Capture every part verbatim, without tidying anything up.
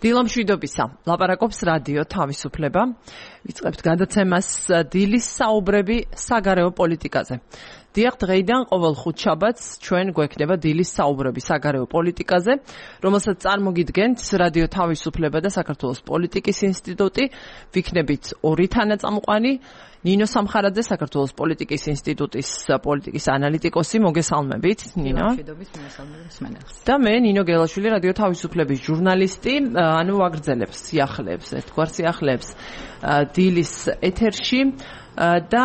დილამშვიდობისა. ლაპარაკობს რადიო თავისუფლება. ვიწყებთ გადაცემას დილის საუბრები საგარეო პოლიტიკაზე. დიახ, დღეიდან ყოველ ხუთშაბათს ჩვენ გვექნება დილის საუბრები საგარეო პოლიტიკაზე, რომელსაც წარმოგიდგენთ რადიო თავისუფლება და საქართველოს პოლიტიკის ინსტიტუტი. ვიქნებით ორი თანაწამყვანი, ნინო სამხარაძე, საქართველოს პოლიტიკის ინსტიტუტის პოლიტიკის ანალიტიკოსი. მოგესალმებით, ნინო. და მე, ნინო გელაშვილი, რადიო თავისუფლების ჟურნალისტი, ანუ ვაგრძელებს სიახლეებს, ერთგვარ სიახლეებს დილის ეთერში. და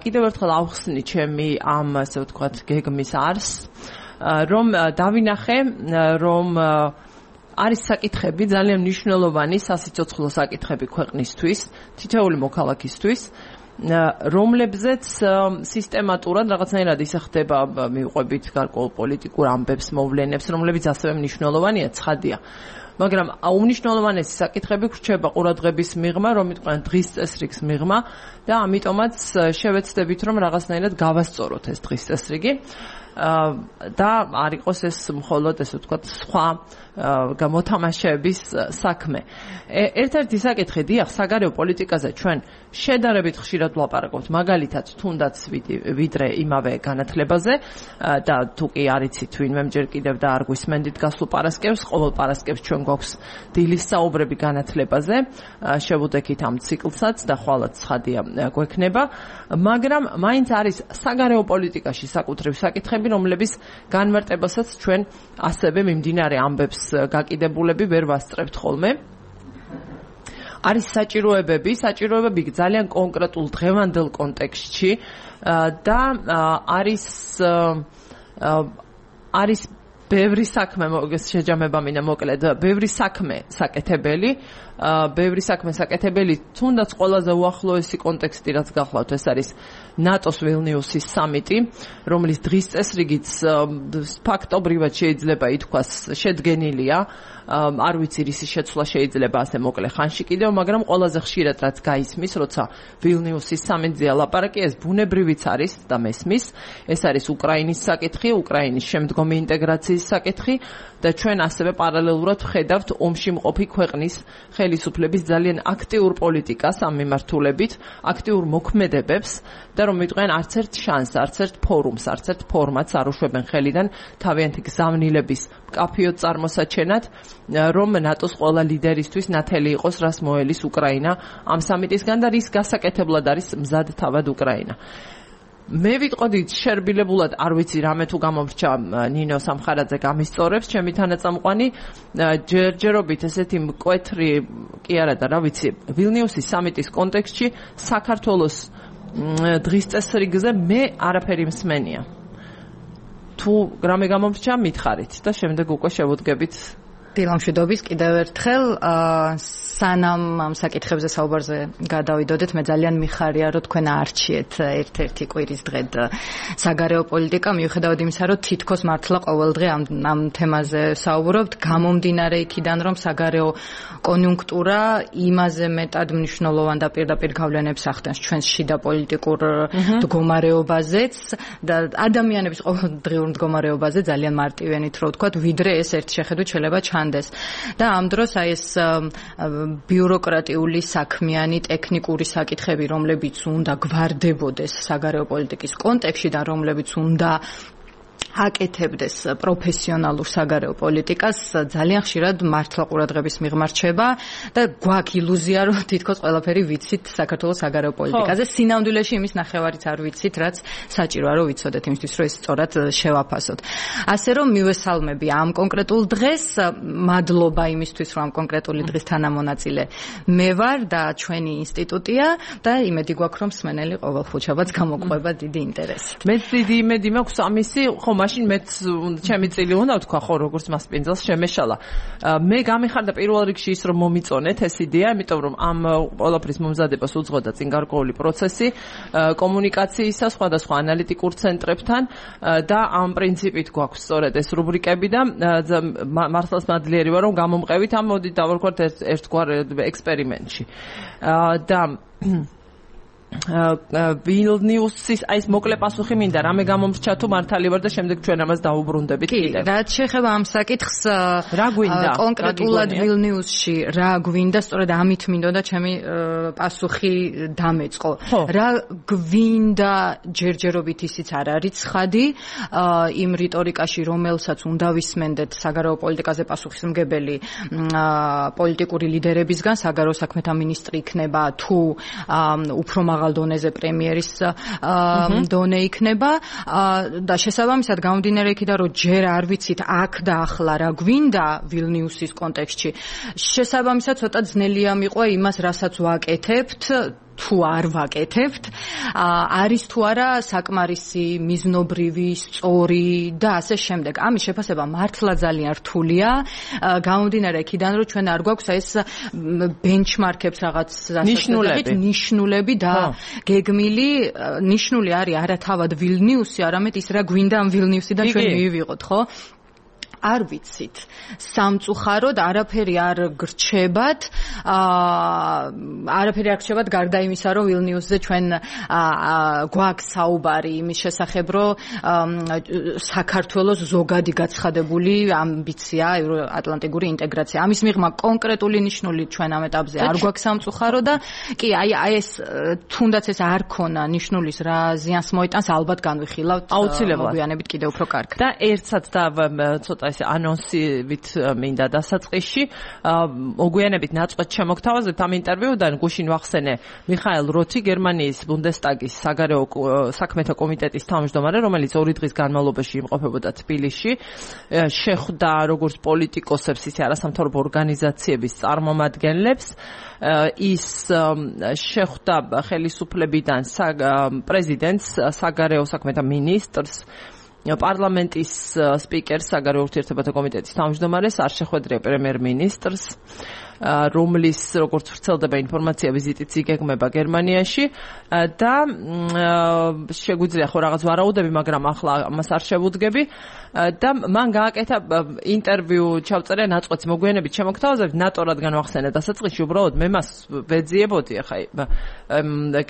კიდევ ერთხელ ავხსნი ჩემი ამ, ასე ვთქვათ, გეგმის არს, რომ დავინახე, რომ არის საკითხები ძალიან მნიშვნელოვანი სასიცოცხლო საკითხები ქვეყნისთვის, თითოეული მოქალაქისთვის, რომლებზეც სისტემატურად რაღაცნაირად ისე ხდება მივყვებით გარკვეულ პოლიტიკურ ამბებს, მოვლენებს, რომლებიც ასევე მნიშვნელოვანია, ცხადია. მაგრამ უმნიშვნელოვანესი საკითხები ვრჩება ყურადღების მიღმა, რომ იყვნენ დღის წესრიგის მიღმა და ამიტომაც შევეცდებით, რომ რაღაცნაირად გავასწოროთ ეს დღის წესრიგი და არ იყოს ეს მხოლოდ, ესე ვთქვათ, სხვა გამოთამაშეების საქმე. ერთ-ერთი საკითხი, დიახ, საგარეო პოლიტიკაზე ჩვენ შედარებით ხშირად ვლაპარაკობთ, მაგალითად, თუნდაც ვიდრე იმავე განათლებაზე და თუ კი არ იცით ვინმე ჯერ კიდევ და არ გვისმენდით გასულ პარასკევს, ყოველ პარასკევს ჩვენ გვაქვს დილის საუბრები განათლებაზე, შევუდექით ამ ციკლსაც და ხვალაც ცხადია გვექნება, მაგრამ მაინც არის საგარეო პოლიტიკაში საკუთრივ საკითხები, რომლების განმარტებასაც ჩვენ ასევე მიმდინარე ამბებს გაკიდებულები ვერ ვასწრებთ ხოლმე. არის საჭიროებები, საჭიროებები ძალიან კონკრეტულ დღევანდელ კონტექსტში და არის არის ბევრი საქმე, შეჯამება მინდა მოკლედ, ბევრი საქმე საკეთებელი, ბევრი საქმე საკეთებელი, თუნდაც ყველაზე უახლოესი კონტექსტი, რაც გახლავთ, ეს არის ნატოს ვილნიუსის სამიტი, რომლის დღის წესრიგიც ფაქტობრივად შეიძლება ითქვას შედგენილია, არ ვიცი რისი შეცვლა შეიძლება ასე მოკლე ხანში კიდევ, მაგრამ ყველაზე ხშირად რაც გაისმის, როცა ვილნიუსის სამიტზეა ლაპარაკი, ეს ბუნებრივიც არის და მესმის, ეს არის უკრაინის საკითხი, უკრაინის შემდგომი ინტეგრაციის საკითხი და ჩვენ ასევე პარალელურად ვხედავთ ომში მყოფი ქვეყნის ხელისუფლების ძალიან აქტიურ პოლიტიკას ამ მიმართულებით, აქტიურ მოქმედებებს და რომ ვიტყვენ არც ერთ შანსს, არც ერთ ფორუმს, არც ერთ ფორმატს არ უშვებენ ხელიდან თავიანთი გზავნილების მკაფიოდ წარმოსაჩენად, რომ ნატოს ყველა ლიდერისთვის ნათელი იყოს, რას მოელის უკრაინა ამ სამიტისგან და რის გასაკეთებლად არის მზად თავად უკრაინა. მე ვიტყოდი შერბილებულად, არ ვიცი რამე თუ გამომრჩა ნინო სამხარაძე გამისწორებს, ჩემი თანაწამყვანი, ჯერჯერობით ესეთი მკვეთრი კი არა და რა ვიცი, ვილნიუსის სამიტის კონტექსტში საქართველოს დღის წესრიგზე მე არაფერი მსმენია. თუ რამე გამომრჩა, მითხარით და შემდეგ უკვე შევუდგებით. დილამშვიდობის კიდევ ერთხელ, სანამ ამ საკითხებზე საუბარზე გადავიდოდეთ, მე ძალიან მიხარია, რომ თქვენ არჩიეთ ერთ-ერთი კვირის დღედ საგარეო პოლიტიკა, მიუხედავად იმისა, რომ თითქოს მართლა ყოველ დღე ამ ამ თემაზე საუბრობთ, გამომდინარე იქიდან, რომ საგარეო კონიუნქტურა იმაზე მეტად მნიშვნელოვან და პირდაპირ გავლენებს ახდენს ჩვენს შიდა პოლიტიკურ მდგომარეობაზეც და ადამიანების ყოველდღიურ მდგომარეობაზე ძალიან მარტივენით რო ვთქვათ, ვიდრე ეს ერთ შეხედვით შეიძლება ჩანდეს. და ამ დროს აი ეს ბიუროკრატიული, საქმიანი, ტექნიკური საკითხები, რომლებიც უნდა გვარდებოდეს საგარეო პოლიტიკის კონტექსტში და რომლებიც უნდა აკეთებდეს პროფესიონალურ საგარეო პოლიტიკას, ძალიან ხშირად მართლა ყურადღების მიღმა რჩება და გვაქვს ილუზია, რომ თითქოს ყველაფერი ვიცით საქართველოს საგარეო პოლიტიკაზე. სინამდვილეში იმის ნახევარიც არ ვიცით, რაც საჭიროა რომ ვიცოდეთ იმისთვის, რომ ეს სწორად შევაფასოთ. ასე რომ მივესალმები ამ კონკრეტულ დღეს, მადლობა იმისთვის, რომ ამ კონკრეტული დღის თანამონაწილე მე ვარ და ჩვენი ინსტიტუტია და იმედი გვაქვს, რომ მსმენელი ყოველ ხუთშაბათს გამოგვყვება დიდი ინტერესით. მეც დიდი იმედი მაქვს ამისი, ხო მაშინ მეც ჩემი წილი უნდა ვთქვა, ხო, როგორც მასპინძელს შემეშალა. მე გამიხარდა პირველ რიგში ის, რომ მომიწონეთ ეს იდეა, იმიტომ რომ ამ ყველაფრის მომზადებას უძღოდა წინ გარკვეული პროცესი კომუნიკაციისა სხვადასხვა ანალიტიკურ ცენტრებთან და ამ პრინციპით გვაქვს სწორედ ეს რუბრიკები და მართლაც მადლიერი ვარ, რომ გამომყევით ამ მოდით დავარქვათ ერთგვარ ექსპერიმენტში. და ვილნიუსის აი ეს მოკლე პასუხი მინდა რამე გამომრჩა თუ მართალი ვარ და შემდეგ ჩვენ ამას დაუბრუნდებით კიდევ. კი, რაც შეეხება ამ საკითხს რა გვინდა კონკრეტულად ვილნიუსში რა გვინდა, სწორედ ამით მინდოდა ჩემი პასუხი დამეწყო. რა გვინდა ჯერჯერობით ისიც არ არის ცხადი იმ რიტორიკაში, რომელსაც უნდა ვისმენდეთ საგარეო პოლიტიკაზე პასუხისმგებელი პოლიტიკური ლიდერებისგან, საგარეო საქმეთა მინისტრი იქნება თუ უფრო მაღალ დონეზე პრემიერის დონე იქნება და შესაბამისად გამომდინარე იქიდან რომ ჯერ არ ვიცით აქ და ახლა რა გვინდა ვილნიუსის კონტექსტში შესაბამისად ცოტა ძნელია მიყვა იმას რასაც ვაკეთებთ თუ არ ვაკეთებთ არის თუ არა საკმარისი მიზნობრივი სწორი და ასე შემდეგ ამის შეფასება მართლა ძალიან რთულია გამომდინარე იქიდან რომ ჩვენ არ გვაქვს ეს ბენჩმარკებს რაღაც ნიშნულები ნიშნულები და გეგმილი ნიშნული არის არა თავად ვილნიუსი არამედ ის რა გვინდა ამ ვილნიუსიდან ჩვენ მივიღოთ ხო არ ვიცით სამწუხაროდ არაფერი არ გრჩებათ არაფერი არ გრჩებათ გარდა იმისა რომ ვილნიუსზე ჩვენ გვაქვს საუბარი იმის შესახებ რომ საქართველოს ზოგადი გაცხადებული ამბიცია ევროატლანტიკური ინტეგრაცია ამის მიღმა კონკრეტული ნიშნული ჩვენ ამ ეტაპზე არ გვაქვს სამწუხარო და კი აი აი ეს თუნდაც ეს არ ქონა ნიშნულის რა ზიანს მოიტანს ალბათ განვიხილავთ მოგვიანებით კიდევ უფრო კარგად და ერთსაც და ცოტა ეს ანონსივით მინდა დასაწყისში მოგვიანებით ნაწყვეტ შემოგთავაზებთ ამ ინტერვიუდან გუშინ ვახსენე მიხაელ როთი გერმანიის ბუნდესტაგის საგარეო საქმეთა კომიტეტის თავმჯდომარე რომელიც ორი დღის განმავლობაში იმყოფებოდა თბილისში შეხვდა როგორც პოლიტიკოსებს ისე არასამთავრობო ორგანიზაციების წარმომადგენლებს ის შეხვდა ხელისუფლებიდან პრეზიდენტს საგარეო საქმეთა მინისტრს პარლამენტის სპიკერს საგარეო ურთიერთობათა კომიტეტის თავმჯდომარეს არ შეხვედრია პრემიერ-მინისტრს რომლის როგორც ვრცელდება ინფორმაცია ვიზიტიც იგეგმება გერმანიაში და შეგვიძლია ხო რაღაც ვარაუდები მაგრამ ახლა ამას არ შევუდგები და მან გააკეთა ინტერვიუ ჩავწერე ნაწყვეტს მოგვიანებით შემოგთავაზებთ ნატო რადგან ვახსენე დასაწყისში უბრალოდ მე მას ვეძიებოდი ახლა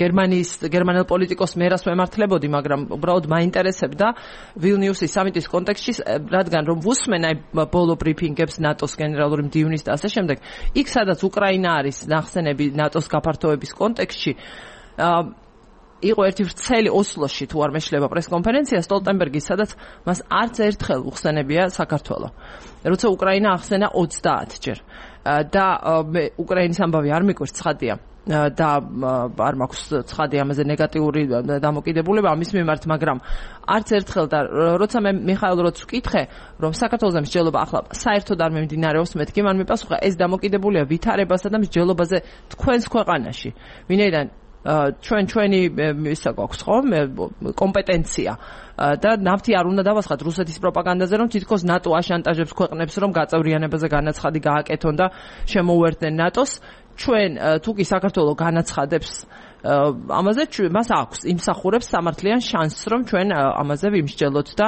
გერმანიის გერმანელ პოლიტიკოს მერას ვემართლებოდი მაგრამ უბრალოდ მაინტერესებდა ვილნიუსის სამიტის კონტექსტში რადგან რომ ვუსმენ აი ბოლო ბრიფინგებს ნატოს გენერალური მდივნის და ასე შემდეგ იქ სადაც უკრაინა არის ნახსენები ნატოს გაფართოების კონტექსტში იყო ერთი ვრცელი ოსლოში თუ არ მეშლება პრესკონფერენცია სტოლტენბერგის სადაც მას არც ერთხელ უხსენებია საქართველო როცა უკრაინა ახსენა ოცდაათჯერ და უკრაინის ამბავი არ მიკვირს ცხადია და არ მაქვს ცხადი ამაზე ნეგატიური დამოკიდებულება ამის მიმართ მაგრამ არც ერთხელ და როცა მე მიხაელ როც ვკითხე რომ საქართველოს მსჯელობა ახლა საერთოდ არ მიმდინარეობს მეთქი მან მიპასუხა ეს დამოკიდებულია ვითარებასა და მსჯელობაზე თქვენს ქვეყანაში ვინაიდან ჩვენ ჩვენი ისა გვაქვს ხო კომპეტენცია და ნავთი არ უნდა დავასხათ რუსეთის პროპაგანდაზე რომ თითქოს ნატო აშანტაჟებს ქვეყნებს რომ გაწევრიანებაზე განაცხადი გააკეთონ და შემოუერთდნენ ნატოს ჩვენ თუ კი საქართველოს განაცხადებს ამაზე მას აქვს იმსახურებს სამართლიან შანსს რომ ჩვენ ამაზე ვიმსჯელოთ და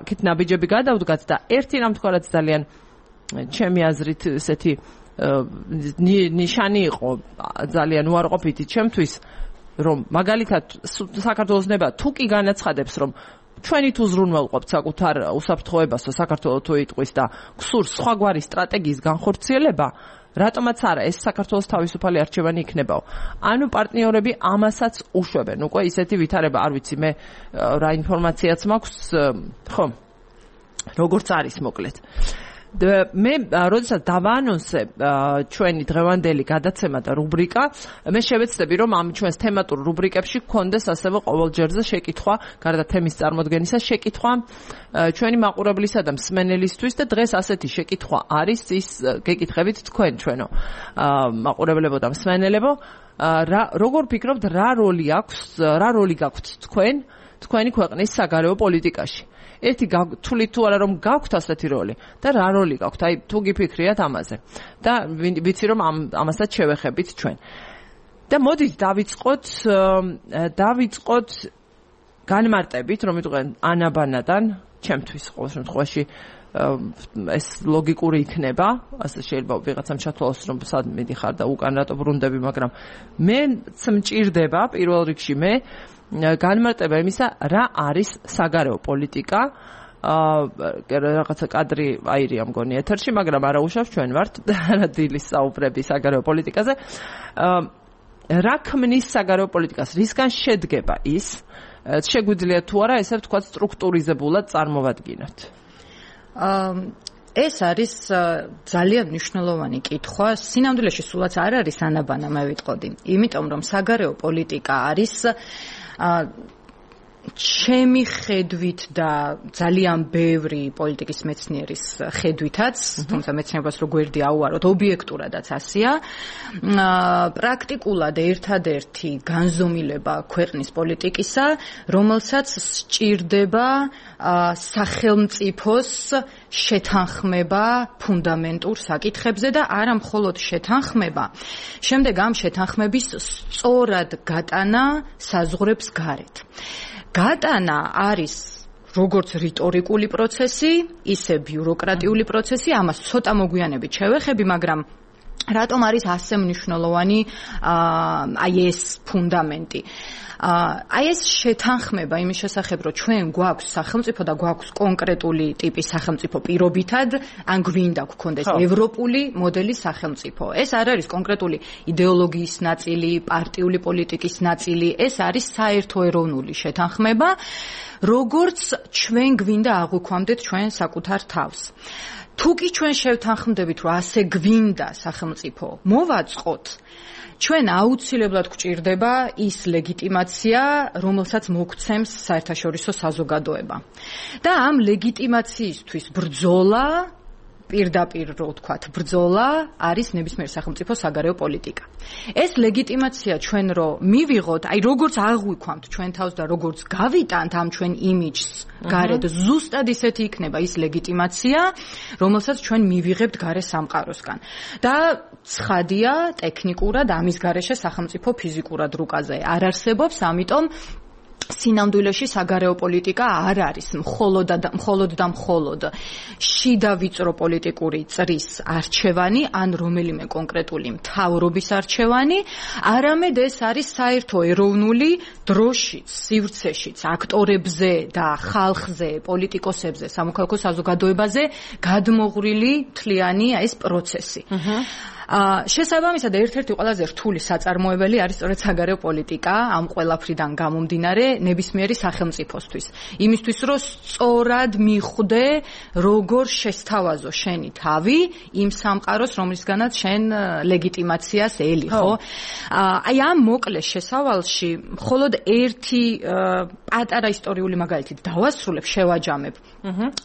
აქეთ ნაბიჯები გადავდგათ და ერთი რამ თქვა რაც ძალიან ჩემი აზრით ესეთი ნიშანი იყო ძალიან უარყოფითი ჩემთვის რომ მაგალითად საქართველოს ნება თუ კი განაცხადებს რომ ჩვენი თუ ზრუნველყოფთ საკუთარ უსაფრთხოებას საქართველოს თუ იტყვის და გსურს სხვაგვარი სტრატეგიის განხორციელება რატომაც არა ეს საქართველოს თავისუფალი არჩევანი იქნებაო ანუ პარტნიორები ამასაც უშვებენ უკვე ისეთი ვითარება არ ვიცი მე რა ინფორმაციაც მაქვს ხო როგორც არის მოკლედ მე როდესაც დავაანონსე ჩვენი დღევანდელი გადაცემა და რუბრიკა მე შევეცდები რომ ამ ჩვენს თემატურ რუბრიკებში გქონდეს ასევე ყოველჯერზე შეკითხვა გარდა თემის წარმოდგენისა შეკითხვა ჩვენი მაყურებლისა და მსმენელისთვის და დღეს ასეთი შეკითხვა არის ის გეკითხებით თქვენ ჩვენო მაყურებლებო და მსმენელებო რა როგორ ფიქრობთ რა როლი აქვს რა როლი გაქვთ თქვენ თქვენი ქვეყნის საგარეო პოლიტიკაში ერთი თვლით თუ არა რომ გაქვთ ასეთი როლი და რა როლი გაქვთ აი თუ გიფიქრიათ ამაზე და ვიცი რომ ამასაც შევეხებით ჩვენ და მოდით დავიწყოთ დავიწყოთ განმარტებით რომ იტყვენ ანაბანადან ჩემთვის ყოველ შემთხვევაში ეს ლოგიკური იქნება, ასე შეიძლება ვიღაცამ ჩათვალოს, რომ სად მიდიხარ და უკან რატო ბრუნდები, მაგრამ მეც მჭირდება პირველ რიგში მე განმარტება იმისა, რა არის საგარეო პოლიტიკა. აა რაღაცა კადრი აირია მგონი ეთერში, მაგრამ არა უშავს ჩვენ ვართ დილის საუბრები საგარეო პოლიტიკაზე. აა რა ქმნის საგარეო პოლიტიკას? რისგან შედგება ის? შეგვიძლია თუ არა ესე ვთქვათ სტრუქტურიზებულად წარმოვადგინოთ? აა ეს არის ძალიან მნიშვნელოვანი კითხვა. სინამდვილეში სულაც არ არის ანაბანა, მე ვიტყოდი. იმიტომ რომ საგარეო პოლიტიკა არის აა ჩემი ხედვით და ძალიან ბევრი პოლიტიკის მეცნიერის ხედვითაც, თუმცა მეცნიერებას რო გვერდი აუაროთ, ობიექტურადაც ასეა, პრაქტიკულად ერთადერთი განზომილება ქვეყნის პოლიტიკისა, რომელსაც სჭირდება სახელმწიფოს შეთანხმება ფუნდამენტურ საკითხებზე და არა მხოლოდ შეთანხმება, შემდეგ ამ შეთანხმების სწორად გატანა საზღვრებს გარეთ. გატანა არის როგორც რიტორიკული პროცესი, ისე ბიუროკრატიული პროცესი, ამას ცოტა მოგვიანებით შევეხები, მაგრამ რატომ არის ასე მნიშვნელოვანი აი ეს ფუნდამენტი? აი ეს შეთანხმება იმის შესახებ, რომ ჩვენ გვაქვს სახელმწიფო და გვაქვს კონკრეტული ტიპის სახელმწიფო პირობითად, ან გვინდა გქონდეს ევროპული მოდელის სახელმწიფო. ეს არ არის კონკრეტული იდეოლოგიის ნაწილი, პარტიული პოლიტიკის ნაწილი, ეს არის საერთო ეროვნული შეთანხმება, როგორც ჩვენ გვინდა აღვიქვამდეთ ჩვენ საკუთარ თავს. თუ კი ჩვენ შევთანხმდებით, რომ ასე გვინდა სახელმწიფო მოვაწყოთ, ჩვენ აუცილებლად გვჭირდება ის ლეგიტიმაცია, რომელსაც მოგცემს საერთაშორისო საზოგადოება. და ამ ლეგიტიმაციისთვის ბრძოლა, პირდაპირ რო ვთქვათ, ბრძოლა არის ნებისმიერ სახელმწიფო საგარეო პოლიტიკა. ეს ლეგიტიმაცია ჩვენ რო მივიღოთ, აი როგორც აღვიქვამთ ჩვენ თავს და როგორც გავიტანთ ამ ჩვენ იმიჯს გარეთ, ზუსტად ისეთი იქნება ის ლეგიტიმაცია, რომელსაც ჩვენ მივიღებთ გარე სამყაროსგან. და ცხადია, ტექნიკურად ამის გარეშე სახელმწიფო ფიზიკურად რუკაზე არ არსებობს, ამიტომ სინამდვილეში საგარეო პოლიტიკა არ არის მხოლოდ და მხოლოდ და მხოლოდ შიდა ვიწრო პოლიტიკური წრის არჩევანი ან რომელიმე კონკრეტული მთავრობის არჩევანი, არამედ ეს არის საერთო ეროვნული დროშიც, სივრცეშიც, აქტორებზე და ხალხზე, პოლიტიკოსებზე, სამოქალაქო საზოგადოებაზე გადმოღვრილი მთლიანი ეს პროცესი. შესაბამისად, ერთ-ერთი ყველაზე რთული საწარმოებელი არის სწორედ საგარეო პოლიტიკა ამ ყველაფრიდან გამომდინარე ნებისმიერი სახელმწიფოსთვის. იმისთვის, რომ სწორად მიხვდე, როგორ შესთავაზო შენი თავი იმ სამყაროს, რომლისგანაც შენ ლეგიტიმაციას ელი, ხო? აი ამ მოკლე შესავალში მხოლოდ ერთი პატარა ისტორიული მაგალითი დავასრულებ, შევაჯამებ.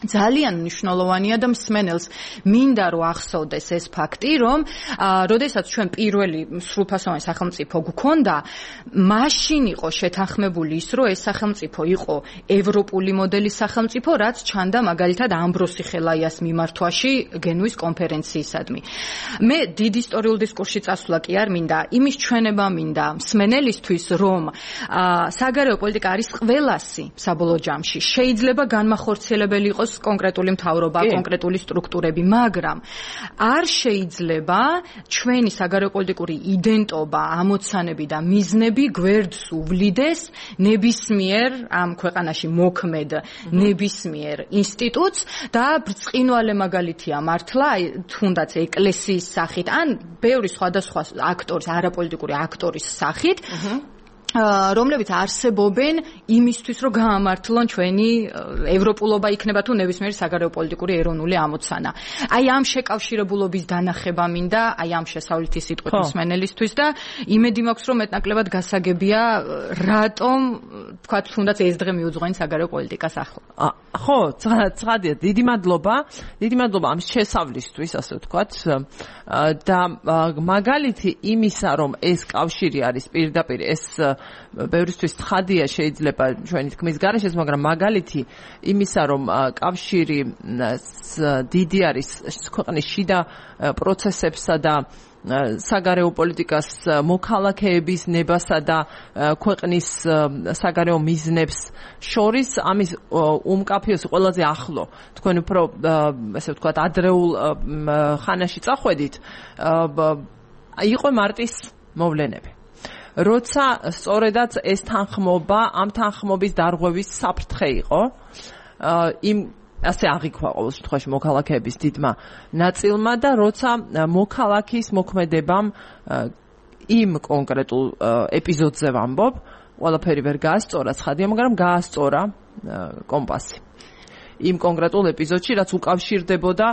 ძალიან მნიშვნელოვანია და მსმენელს მინდა რომ ახსოვდეს ეს ფაქტი, რომ როდესაც ჩვენ პირველი სრულფასოვანი სახელმწიფო გვქონდა, მაშინ იყო შეთანხმებული ის, რომ ეს სახელმწიფო იყო ევროპული მოდელის სახელმწიფო, რაც ჩანდა მაგალითად ამბროსი ხელაიას მიმართვაში გენუის კონფერენციისადმი. მე დიდ ისტორიულ დისკურსში წასვლა კი არ მინდა, იმის ჩვენება მინდა მსმენელისთვის, რომ საგარეო პოლიტიკა არის ყველასი საბოლოო ჯამში. შეიძლება განმახორციელებელი იყოს კონკრეტული მთავრობა, კონკრეტული სტრუქტურები, მაგრამ არ შეიძლება ჩვენი საგარეო პოლიტიკური იდენტობა, ამოცანები და მიზნები გვერდს უვლიდეს ნებისმიერ ამ ქვეყანაში მოქმედ ნებისმიერ ინსტიტუტს და ბრწყინვალე მაგალითია მართლა თუნდაც ეკლესიის სახით ან ბევრი სხვადასხვა აქტორის, არაპოლიტიკური აქტორის სახით, რომლებიც არსებობენ იმისთვის, რომ გაამართლონ ჩვენი ევროპულობა იქნება თუ ნებისმიერი საგარეო პოლიტიკური ეროვნული ამოცანა. აი ამ შეკავშირებულობის დანახება მინდა, აი ამ შესავლითი სიტყვით მსმენელისთვის და იმედი მაქვს, რომ მეტნაკლებად გასაგებია, რატომ თქვა თუნდაც ეს დღე მიუძღვენ საგარეო პოლიტიკას ახლა. ხო, ცხადია, დიდი მადლობა, დიდი მადლობა ამ შესავლისთვის, ასე ვთქვათ. და მაგალითი იმისა, რომ ეს კავშირი არის პირდაპირ ეს ბევრისთვის ცხადია შეიძლება ჩვენი თქმის გარეშე, მაგრამ მაგალითი იმისა, რომ კავშირი დიდი არის ქვეყნის შიდა პროცესებსა და საგარეო პოლიტიკას მოქალაქეების ნებასა და ქვეყნის საგარეო მიზნებს შორის ამის უმკაფიოსი ყველაზე ახლო თქვენ უფრო ესე ვთქვათ ადრეულ ხანაში წახვედით იყო მარტის მოვლენები. როცა სწორედაც ეს თანხმობა ამ თანხმობის დარღვევის საფრთხე იყო იმ ასე აღიქვა ყოველ შემთხვევაში მოქალაქეების დიდმა ნაწილმა და როცა მოქალაქის მოქმედებამ იმ კონკრეტულ ეპიზოდზე ვამბობ, ყველაფერი ვერ გაასწორა ცხადია, მაგრამ გაასწორა კომპასი. იმ კონკრეტულ ეპიზოდში, რაც უკავშირდებოდა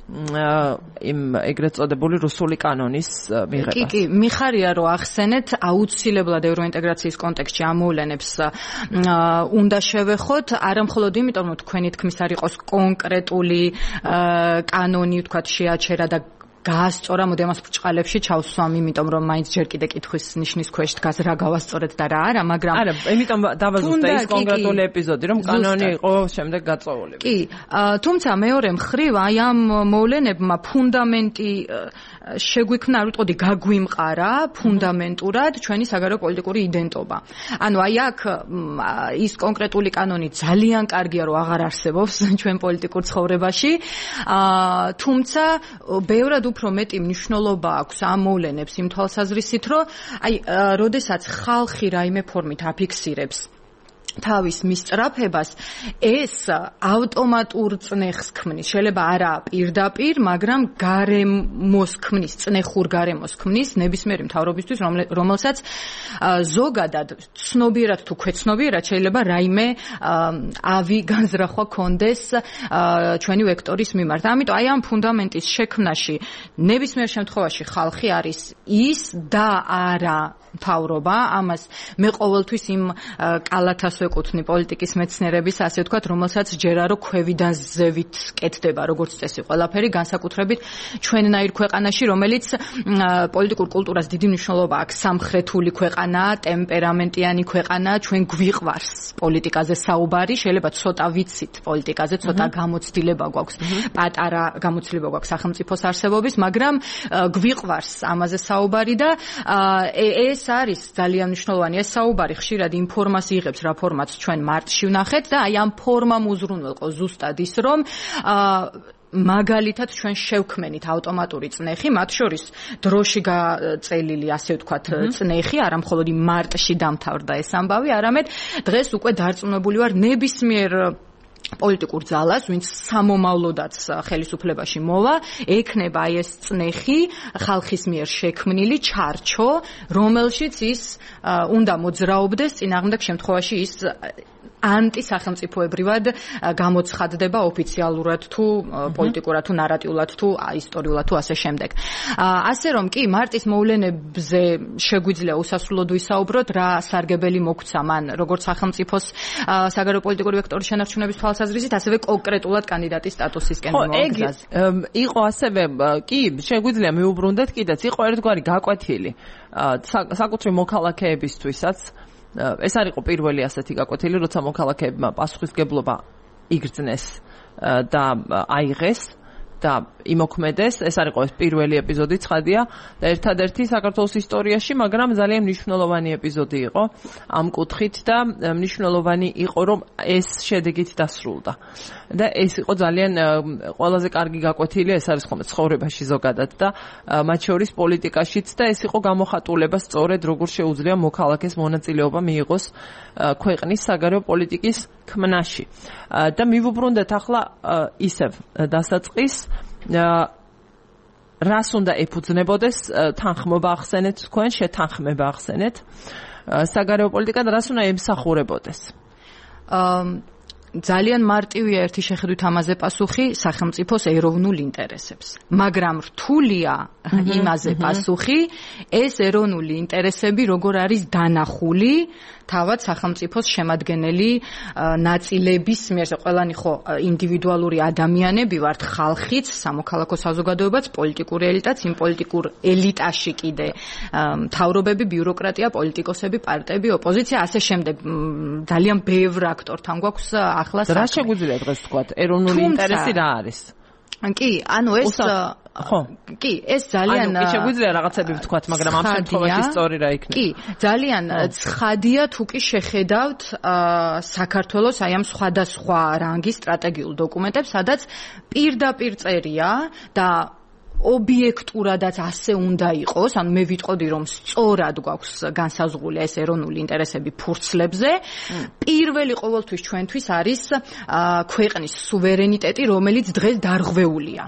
იმ ეგრეთ წოდებული რუსული კანონის მიღებას. კი, კი, მიხარია რომ ახსენეთ აუცილებლად ევროინტეგრაციის კონტექსტში ამ მოვლენებს უნდა შევეხოთ, არა მხოლოდ იმიტომ, რომ თქვენი თქმის არ იყოს კონკრეტული კანონი, თქვათ, შეაჩერა და გაასწორა, მოდი ამას ბრჭყალებში ჩავსვამ, იმიტომ რომ მაინც ჯერ კიდე კითხვის ნიშნის ქვეშ დგას რა გავასწორეთ და რა არა, მაგრამ არა, იმიტომ დავაზუსტე ის კონკრეტული ეპიზოდი, რომ კანონი იყო შემდეგ გაწეულებული. კი, თუმცა მეორე მხრივ აი ამ მოვლენებმა ფუნდამენტი შეგვიქმნა, არ ვიტყოდი, გაგვიმყარა ფუნდამენტურად ჩვენი საგარეო პოლიტიკური იდენტობა. ანუ აი აქ ის კონკრეტული კანონი ძალიან კარგია, რომ აღარ არსებობს ჩვენ პოლიტიკურ ცხოვრებაში, თუმცა ბევრად უფრო მეტი მნიშვნელობა აქვს ამ მოვლენებს იმ თვალსაზრისით, რომ აი, როდესაც ხალხი რაიმე ფორმით აფიქსირებს თავის მისწრაფებას, ეს ავტომატურ წნეხს ქმნის. შეიძლება არა პირდაპირ, მაგრამ გარემოს ქმნის, წნეხურ გარემოს ქმნის ნებისმიერი მთავრობისთვის, რომელსაც ზოგადად ცნობიერად თუ ქვეცნობიერად შეიძლება რაიმე ავი განზრახვა კონდეს ჩვენი ვექტორის მიმართ. ამიტომ აი ამ ფუნდამენტის შექმნაში ნებისმიერ შემთხვევაში ხალხი არის ის და არა მთავრობა. ამას მე ყოველთვის იმ კალათას ვეკუთვნი პოლიტიკის მეცნიერების, ასე ვთქვათ, რომელსაც ჯერა რომ ქვევიდან ზევით კეთდება, როგორც წესი ყველაფერი, განსაკუთრებით ჩვენნაირ ქვეყანაში, რომელიც პოლიტიკურ კულტურას დიდი მნიშვნელობა აქვს. სამხრეთული ქვეყანაა, ტემპერამენტიანი ქვეყანაა, ჩვენ გვიყვარს პოლიტიკაზე საუბარი, შეიძლება ცოტა ვიცით პოლიტიკაზე, ცოტა გამოცდილება გვაქვს, პატარა გამოცდილება გვაქვს სახელმწიფოს არსებობის, მაგრამ გვიყვარს ამაზე საუბარი და ეს არის ძალიან მნიშვნელოვანი. ეს საუბარი ხშირად იმ ფორმას იღებს, რა ფორმაც ჩვენ მარტში ვნახეთ და აი ამ ფორმამ უზრუნველყო ზუსტად ის, რომ მაგალითად ჩვენ შევქმენით ავტომატური წნეხი, მათ შორის დროში გაწელილი, ასე ვთქვათ, წნეხი, არა მხოლოდ მარტში დამთავრდა ეს ამბავი, არამედ დღეს უკვე დარწმუნებული ვარ ნებისმიერ პოლიტიკურ ძალას, ვინც სამომავლოდაც ხელისუფლებაში მოვა, ექნება აი ეს წნეხი ხალხის მიერ შექმნილი ჩარჩო, რომელშიც ის უნდა მოძრაობდეს, წინააღმდეგ შემთხვევაში ის ანტისახელმწიფოებრივად გამოცხადდება ოფიციალურად თუ პოლიტიკურად თუ ნარატიულად თუ ისტორიულად თუ ასე შემდეგ. ასე რომ კი მარტის მოვლენებზე შეგვიძლია უსასრულოდ ვისაუბროთ, რა სარგებელი მოგვცა მან როგორც სახელმწიფოს საგარეო პოლიტიკური ვექტორის შენარჩუნების თვალსაზრისით, ასევე კონკრეტულად კანდიდატის სტატუსისკენ მომგზაზე. იყო ასევე კი შეგვიძლია მიუბრუნდეთ კიდეც, იყო ერთგვარი გაკვეთილი საკუთრივ მოქალაქეებისთვისაც. ეს არ იყო პირველი ასეთი გაკვეთილი, როცა მოქალაქეებმა პასუხისგებლობა იგრძნეს და აიღეს და იმოქმედეს. ეს არ იყო ეს პირველი ეპიზოდი, ცხადია, და ერთადერთი საქართველოს ისტორიაში, მაგრამ ძალიან მნიშვნელოვანი ეპიზოდი იყო ამ კუთხით და მნიშვნელოვანი იყო, რომ ეს შედეგით დასრულდა. და ეს იყო ძალიან ყველაზე კარგი გაკვეთილი, ეს არის ხოლმე ცხოვრებაში ზოგადად და მათ შორის პოლიტიკაშიც და ეს იყო გამოხატულება სწორედ როგორ შეუძლია მოქალაქეს მონაწილეობა მიიღოს ქვეყნის საგარეო პოლიტიკის ქმნაში. და მივუბრუნდეთ ახლა ისევ დასაწყის რას უნდა ეფუძნებოდეს თანხმობა ახსენეთ თქვენ, შეთანხმება ახსენეთ საგარეო პოლიტიკა და რას უნდა ემსახურებოდეს? ძალიან მარტივია ერთი შეხედვით ამაზე პასუხი, სახელმწიფოს ეროვნულ ინტერესებს. მაგრამ რთულია იმაზე პასუხი, ეს ეროვნული ინტერესები როგორ არის დანახული თავად სახელმწიფოს შემადგენელი ნაწილების მიერ. ყველანი ხო ინდივიდუალური ადამიანები ვართ, ხალხიც, სამოქალაქო საზოგადოებაც, პოლიტიკური ელიტაც, იმ პოლიტიკურ ელიტაში კიდე მთავრობები, ბიუროკრატია, პოლიტიკოსები, პარტიები, ოპოზიცია, ასე შემდეგ. ძალიან ბევრ აქტორთან გვაქვს ახლა საქმე. რა შეგვიძლია დღეს ვთქვათ, ეროვნული ინტერესი რა არის? კი, ანუ ეს ხო კი ეს ძალიან ანუ შეგვიძლია რაღაცები ვთქვათ მაგრამ ამ შემთხვევაში სწორი რა იქნება კი ძალიან ცხადია თუ კი შეხედავთ საქართველოს აი ამ სხვადასხვა რანგის სტრატეგიულ დოკუმენტებს სადაც პირდაპირ წერია და ობიექტურადაც ასე უნდა იყოს, ანუ მე ვიტყოდი რომ სწორად გვაქვს განსაზღვრული ეს ეროვნული ინტერესები ფურცლებზე. პირველი ყოველთვის ჩვენთვის არის ქვეყნის სუვერენიტეტი, რომელიც დღეს დარღვეულია.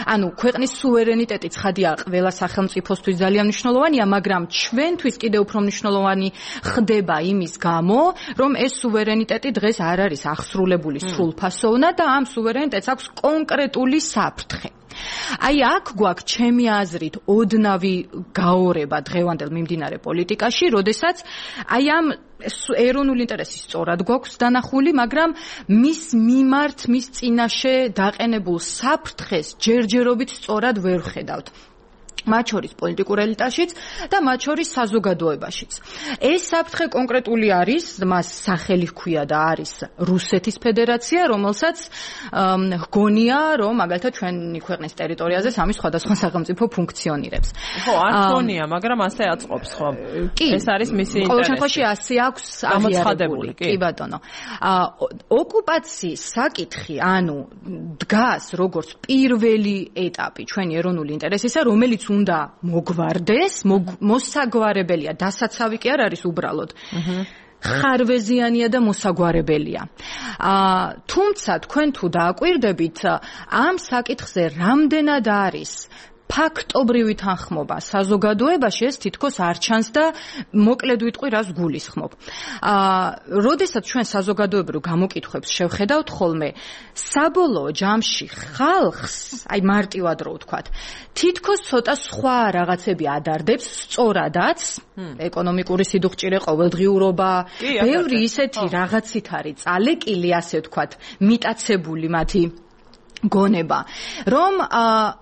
ანუ ქვეყნის სუვერენიტეტი ცხადია ყველა სახელმწიფოსთვის ძალიან მნიშვნელოვანია, მაგრამ ჩვენთვის კიდევ უფრო მნიშვნელოვანი ხდება იმის გამო, რომ ეს სუვერენიტეტი დღეს არ არის აღსრულებული სრულფასოვნად და ამ სუვერენიტეტს აქვს კონკრეტული საფრთხე. აი აქ გვაქვს ჩემი აზრით ოდნავი გაორება დღევანდელ მიმდინარე პოლიტიკაში, როდესაც აი ამ ეროვნული ინტერესი სწორად გვაქვს დანახული, მაგრამ მის მიმართ, მის წინაშე დაყენებულ საფრთხეს ჯერჯერობით სწორად ვერ ვხედავთ. მათ შორის პოლიტიკურ ელიტაშიც და მათ შორის საზოგადოებაშიც. ეს საფრთხე კონკრეტული არის, მას სახელი ჰქვია და არის რუსეთის ფედერაცია, რომელსაც ჰგონია, რომ მაგალითად ჩვენი ქვეყნის ტერიტორიაზე სამი სხვადასხვა სახელმწიფო ფუნქციონირებს. ხო, არ ჰგონია, მაგრამ ასე აწყობს, ხო. ეს არის მისი ინტერესი. ყოველ შემთხვევაში ასე აქვს აღიარებული. კი ბატონო. ოკუპაციის საკითხი, ანუ დგას როგორც პირველი ეტაპი ჩვენი ეროვნული ინტერესისა, რომელიც უნდა მოგვარდეს, მოსაგვარებელია, დასაცავი კი არ არის უბრალოდ. ხარვეზიანია და მოსაგვარებელია. თუმცა თქვენ თუ დააკვირდებით, ამ საკითხზე რამდენად არის ფაქტობრივი თანხმობა საზოგადოებაში ეს თითქოს არ ჩანს და მოკლედ ვიტყვი რას გულისხმობ. აა, როდესაც ჩვენ საზოგადოებრივ გამოკითხვებს შევხედავთ ხოლმე, საბოლოო ჯამში ხალხს, აი მარტივად რო ვთქვათ, თითქოს ცოტა სხვა რაღაცები ადარდებს, სწორადაც, ეკონომიკური სიდუხჭირე, ყოველდღიურობა, ბევრი ისეთი რაღაცით არის წალეკილი, ასე ვთქვათ, მიტაცებული მათი გონება, რომ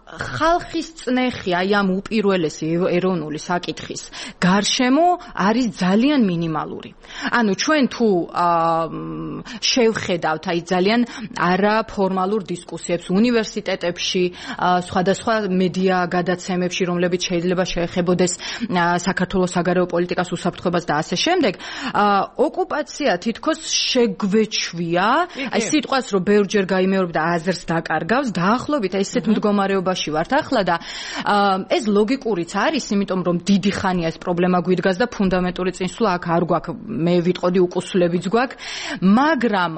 ხალხის წნეხი აი ამ უპირველესი ეროვნული საკითხის გარშემო არის ძალიან მინიმალური. ანუ ჩვენ თუ შევხედავთ აი ძალიან არაფორმალურ დისკუსიებს უნივერსიტეტებში, სხვადასხვა მედია გადაცემებში, რომლებიც შეიძლება შეეხებოდეს საქართველოს საგარეო პოლიტიკას, უსაფრთხოებას და ასე შემდეგ, ოკუპაცია თითქოს შეგვეჩვია, აი სიტყვას რომ ბევრჯერ გაიმეორებ და აზრს დაკარგავს, დაახლოებით ესეთ მდგომარეობაში ვართ ახლა და ეს ლოგიკურიც არის, იმიტომ რომ დიდი ხანია ეს პრობლემა გვიდგას და ფუნდამენტური წინსვლა აქ არ გვაქვს, მე ვიტყოდი უკუსლებიც გვაქვს, მაგრამ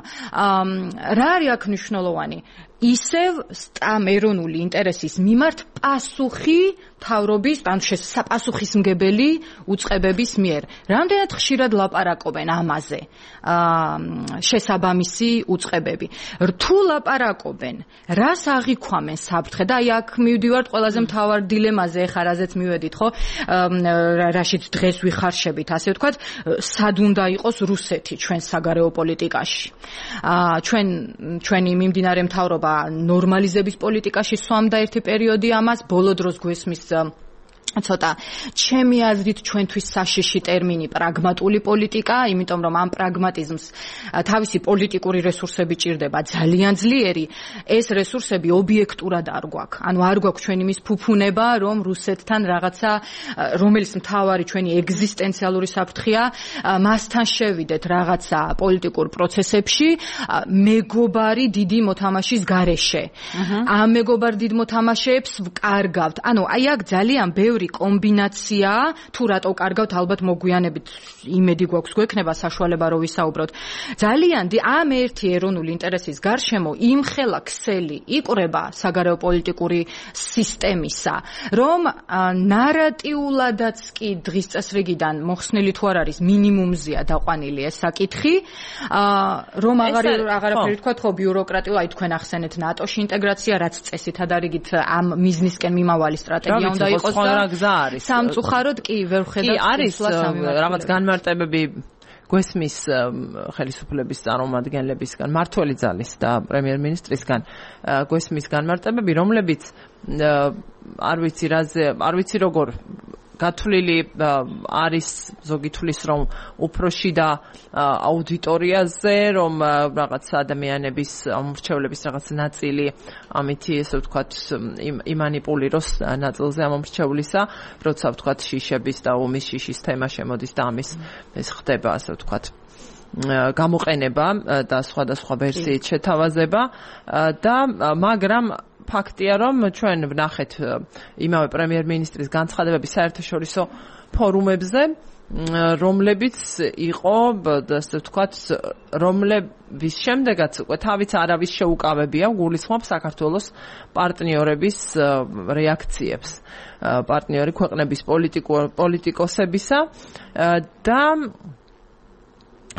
რა არის აქ მნიშვნელოვანი? ისევ ამ ეროვნული ინტერესის მიმართ პასუხი თავრობის, ანუ პასუხისმგებელი უწყებების მიერ. რამდენად ხშირად ლაპარაკობენ ამაზე შესაბამისი უწყებები. რთულ ლაპარაკობენ, რას აღიქვამენ საფრთხე და აი აქ მივდივართ ყველაზე მთავარ დილემაზე, ეხლა რაზეც მივედით, ხო? რაშიც დღეს ვიხარშებით, ასე ვთქვათ, სად უნდა იყოს რუსეთი ჩვენ საგარეო პოლიტიკაში. ჩვენ ჩვენი მიმდინარე მთავრობა ნორმალიზების პოლიტიკაში სვამდა ერთი პერიოდი ამას, ბოლო დროს გვესმის ცოტა ჩემი აზრით ჩვენთვის საშიში ტერმინი პრაგმატული პოლიტიკა, იმიტომ რომ ამ პრაგმატიზმს თავისი პოლიტიკური რესურსები ჭირდება ძალიან ძლიერი, ეს რესურსები ობიექტურად არ გვაქვს. ანუ არ გვაქვს ჩვენი მის ფუფუნება, რომ რუსეთთან რაღაცა, რომელიც მთავარი ჩვენი ეგზისტენციალური საფრთხეა, მასთან შევიდეთ რაღაცა პოლიტიკურ პროცესებში, მეგობარი დიდი მოთამაშის გარეშე. ამ მეგობარ დიდ მოთამაშეებს ვკარგავთ. ანუ აი აქ ძალიან ბევრი კომბინაცია, თუ რატო კარგავთ, ალბათ მოგვიანებით იმედი გვაქვს გვექნება საშუალება რომ ვისაუბროთ. ძალიან ამ ერთი ეროვნული ინტერესის გარშემო იმხელა ქსელი იყრება საგარეო პოლიტიკური სისტემისა, რომ ნარატიულადაც კი დღის წესრიგიდან მოხსნილი თუ არ არის მინიმუმზეა დაყვანილი ეს საკითხი, რომ აღარაფერი ვთქვათ, ხო ბიუროკრატიულ, აი თქვენ ახსენეთ ნატოში ინტეგრაცია, რაც წესითად არიგით ამ მიზნისკენ მიმავალი სტრატეგია უნდა იყოს და გზა არის. სამწუხაროდ კი ვერ ვხედავ არის რაღაც განმარტებები გვესმის ხელისუფლების წარმომადგენლებისგან, მმართველი ძალის და პრემიერ-მინისტრისგან გვესმის განმარტებები, რომლებიც არ ვიცი რაზე, არ ვიცი როგორ გათვლილი არის ზოგი თვლის რომ უფრო შიდა აუდიტორიაზე რომ რაღაც ადამიანების ამორჩევლების რაღაც ნაწილი ამითი ესე ვთქვათ იმანიპულიროს ნაწილზე ამორჩევლისა როცა ვთქვათ შიშების და ომის შიშის თემა შემოდის და ამის ეს ხდება ასე ვთქვათ გამოყენება და სხვადასხვა ვერსიით შეთავაზება და მაგრამ ფაქტია რომ ჩვენ ვნახეთ იმავე პრემიერ-მინისტრის განცხადებები საერთაშორისო ფორუმებზე რომლებიც იყო ასე ვთქვათ რომლების შემდეგაც უკვე თავიც არავის შეუკავებია გულისხმობს საქართველოს პარტნიორების რეაქციებს პარტნიორი ქვეყნების პოლიტიკოსებისა და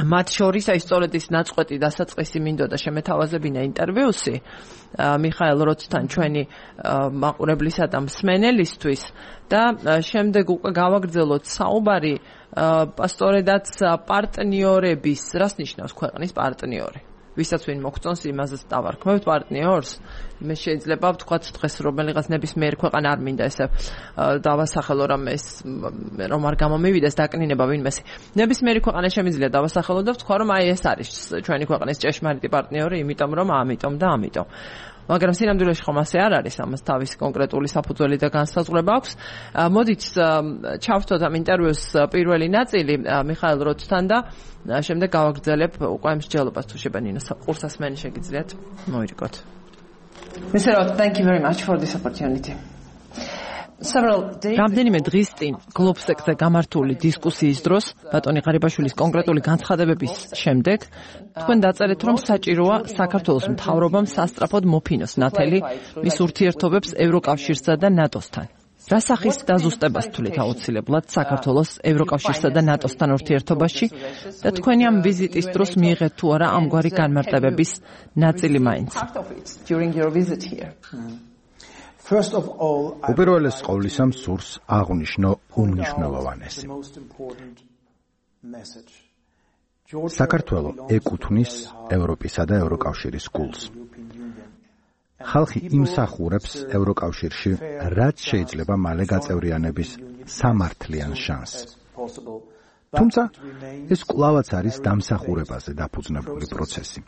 მათ შორის აი სწორედ ის ნაწყვეტი დასაწყისი მინდოდა შემეთავაზებინა ინტერვიუსი მიხაელ როცთან ჩვენი მაყურებლისა და მსმენელისთვის და შემდეგ უკვე გავაგრძელოთ საუბარი სწორედაც პარტნიორების რას ნიშნავს ქვეყნის პარტნიორი ვისაც ვინ მოგწონს იმაზეც დავარქმევთ პარტნიორს მე შეიძლება ვთქვათ დღეს რომელიღაც ნებისმიერ ქვეყანა არ მინდა ესე დავასახელო რომ ეს რომ არ გამომივიდეს დაკნინება ვინმესი ნებისმიერი ქვეყანა შემიძლია დავასახელო და ვთქვა რომ აი ეს არის ჩვენი ქვეყნის ჭეშმარიტი პარტნიორი იმიტომ რომ ამიტომ და ამიტომ მაგრამ სინამდვილეში ხომ ასე არ არის ამას თავისი კონკრეტული საფუძველი და განსაზღვრება აქვს მოდით ჩავთოთ ამ ინტერვიუს პირველი ნაწილი მიხაელ როცთან და შემდეგ გავაგრძელებ უკვე მსჯელობას თუ შეიძლება ნინო ყურსასმენი შეგიძლიათ მოირიგოთ Mister Roth, thank you very much for this opportunity. რამდენიმე დღის წინ გლობსექსზე გამართული დისკუსიის დროს ბატონი ღარიბაშვილის კონკრეტული განცხადებების შემდეგ თქვენ დაწერეთ რომ საჭიროა საქართველოს მთავრობამ სასწრაფოდ მოფინოს ნათელი მის ურთიერთობებს ევროკავშირსა და ნატოსთან. რა სახის დაზუსტებას თვლით აუცილებლად საქართველოს ევროკავშირსა და ნატოსთან ურთიერთობაში და თქვენი ამ ვიზიტის დროს მიიღეთ თუ არა ამგვარი განმარტებების ნაწილი მაინც. უპირველეს ყოვლისა მსურს აღვნიშნო უმნიშვნელოვანესი. საქართველო ეკუთვნის ევროპისა და ევროკავშირის გულს. ხალხი იმსახურებს ევროკავშირში, რაც შეიძლება მალე გაწევრიანების სამართლიან შანსს. თუმცა ეს კვლავაც არის დამსახურებაზე დაფუძნებული პროცესი.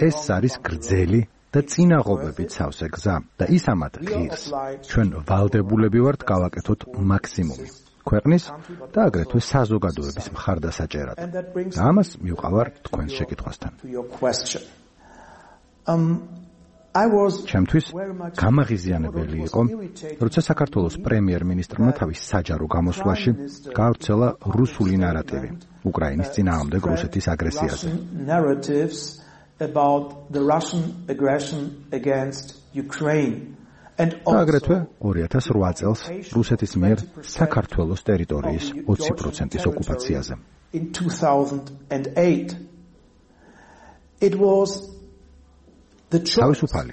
ეს არის გრძელი და წინაღობებით სავსე გზა და ის ამათ ღირს. ჩვენ ვალდებულები ვართ გავაკეთოთ მაქსიმუმი. ქვეყნის და აგრეთვე საზოგადოების მხარდასაჭერად. და ამას მივყავარ თქვენს შეკითხვასთან. ჩემთვის გამაღიზიანებელი იყო, როცა საქართველოს პრემიერ-მინისტრმა თავის საჯარო გამოსვლაში გაავრცელა რუსული ნარატივი უკრაინის წინააღმდეგ რუსეთის აგრესიაზე. about the Russian aggression against Ukraine and აგრეთვე ორი ათას ოთხ წელს რუსეთის მიერ საქართველოს ტერიტორიის ოცი პროცენტის ოკუპაციაზე. In two thousand eight it was the თავისუფალი,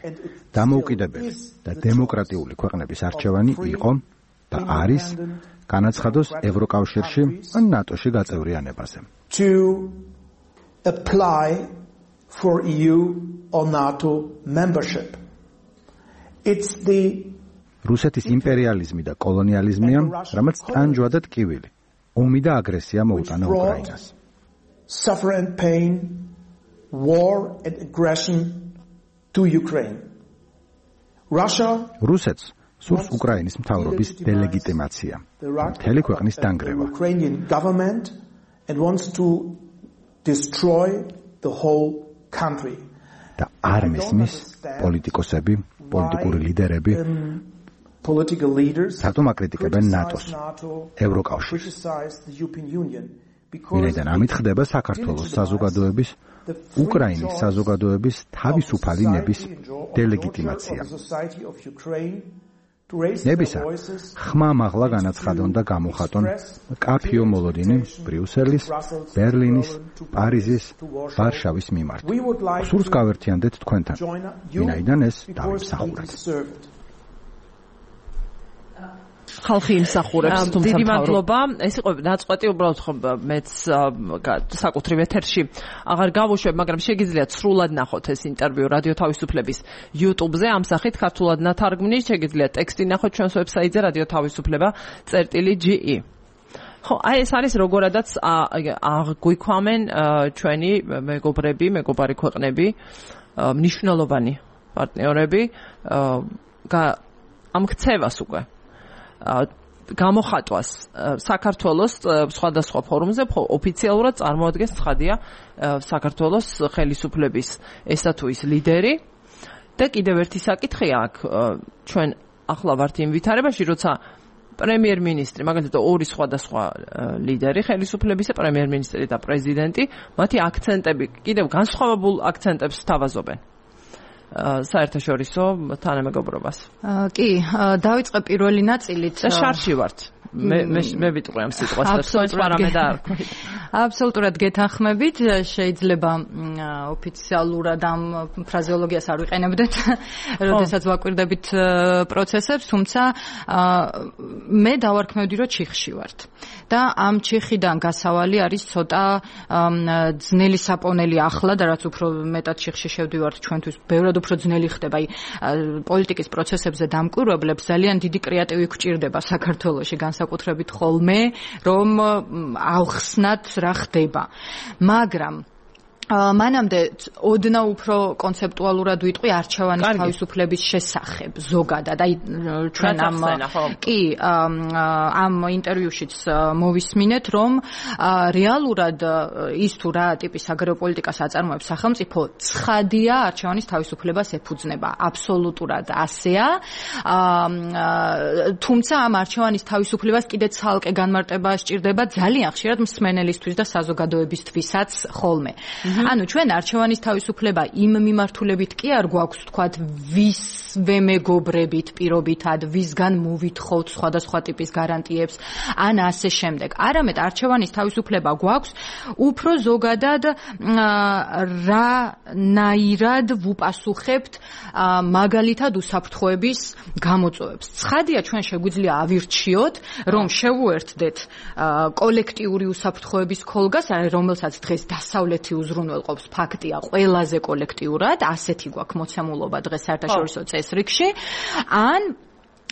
დამოუკიდებელი და დემოკრატიული ქვეყნების არჩევანი იყო და არის განაცხადოს ევროკავშირში ან ნატოში გაწევრიანებაზე. To apply for E U or NATO membership. It's the რუსეთის იმპერიალიზმი და კოლონიალიზმია, რამაც ტანჯვა და ტკივილი, ომი და აგრესია მოუტანა უკრაინას. Suffer and pain, war and aggression to Ukraine. Russia რუსეთს სურს უკრაინის მთავრობის დელეგიტიმაცია, მთელი ქვეყნის დანგრევა. Ukrainian government and wants to destroy the whole country. და არ მისმის პოლიტიკოსები, პოლიტიკური ლიდერები, political leaders რატომ აკრიტიკებენ ნატოს, ევროკავშირს. ვინაიდან ამით ხდება საქართველოს საზოგადოების, უკრაინის საზოგადოების თავისუფალი ნების დელეგიტიმაცია. ნებისა ხმა მაღლა განაცხადონ და გამოხატონ კაფიო მოლოდინი ბრიუსელის, ბერლინის, პარიზის, ვარშავის მიმართ. სურს გავერთიანდეთ თქვენთან, ვინაიდან ეს დავიმსახურეთ. ხალხი იმსახურებს თუმცა დიდი მადლობა. ეს იყო ნაწყვეტი უბრალოდ ხო მეც საკუთრივ ეთერში აღარ გავუშვებ, მაგრამ შეგიძლიათ სრულად ნახოთ ეს ინტერვიუ რადიო თავისუფლების YouTube-ზე ამ სახით ქართულად ნათარგმნით, შეგიძლიათ ტექსტი ნახოთ ჩვენს ვებსაიტზე რადიო თავისუფლება წერტილი ჯი ი. ხო, აი ეს არის როგორადაც აღვიქვამენ ჩვენი მეგობრები, მეგობარი ქვეყნები, მნიშვნელოვანი პარტნიორები ამ ქცევას უკვე გამოხატვას საქართველოს სხვადასხვა ფორუმზე ოფიციალურად წარმოადგენს ცხადია საქართველოს ხელისუფლების ესა თუ ის ლიდერი და კიდევ ერთი საკითხია აქ ჩვენ ახლა ვართ იმ ვითარებაში, როცა პრემიერ-მინისტრი, მაგალითად ორი სხვადასხვა ლიდერი ხელისუფლებისა, პრემიერ-მინისტრი და პრეზიდენტი, მათი აქცენტები კიდევ განსხვავებულ აქცენტებს სთავაზობენ საერთაშორისო თანამეგობრობას. კი, დავიწყე პირველი ნაწილით. და შარში ვართ. მე მე ვიტყვი ამ სიტყვას და თქვენს პარამეტრ არ ვქით. აბსოლუტურად გეთანხმებით, შეიძლება ოფიციალურად ამ ფრაზეოლოგიას არ ვიყენებდეთ, როდესაც ვაკვირდებით პროცესებს, თუმცა მე დავარქმევდი, რომ ჩიხში ვართ. და ამ ჩიხიდან გასავალი არის ცოტა ძნელი საპონელი ახლა და რაც უფრო მეტად ჩიხში შევდივართ ჩვენთვის ბევრად უფრო ძნელი ხდება. აი პოლიტიკის პროცესებზე დამკვირვებლებს ძალიან დიდი კრეატივი გვჭირდება საქართველოში განსაკუთრებით ხოლმე, რომ ავხსნათ რა ხდება. მაგრამ მანამდე ოდნავ უფრო კონცეპტუალურად ვიტყვი არჩევანის თავისუფლების შესახებ ზოგადად. აი ჩვენ ამ კი ამ ინტერვიუშიც მოვისმინეთ, რომ რეალურად ის თუ რა ტიპის საგარეო პოლიტიკას აწარმოებს სახელმწიფო, ცხადია არჩევანის თავისუფლებას ეფუძნება. აბსოლუტურად ასეა. თუმცა ამ არჩევანის თავისუფლებას კიდე ცალკე განმარტება სჭირდება ძალიან ხშირად მსმენელისთვის და საზოგადოებისთვისაც ხოლმე. ანუ ჩვენ არჩევანის თავისუფლება იმ მიმართულებით კი არ გვაქვს თქვათ ვისვე მეგობრებით პირობითად, ვისგან მოვითხოვთ სხვადასხვა ტიპის გარანტიებს, ან ასე შემდეგ. არამედ არჩევანის თავისუფლება გვაქვს უფრო ზოგადად რანაირად ვუპასუხებთ მაგალითად უსაფრთხოების გამოწვევებს. ცხადია ჩვენ შეგვიძლია ავირჩიოთ, რომ შევუერთდეთ კოლექტიური უსაფრთხოების ქოლგას, რომელსაც დღეს დასავლეთი უზრუნველყოფს, ფაქტია ყველაზე კოლექტიურად, ასეთი გვაქვს მოცემულობა დღეს საერთაშორისო წესრიგში, ან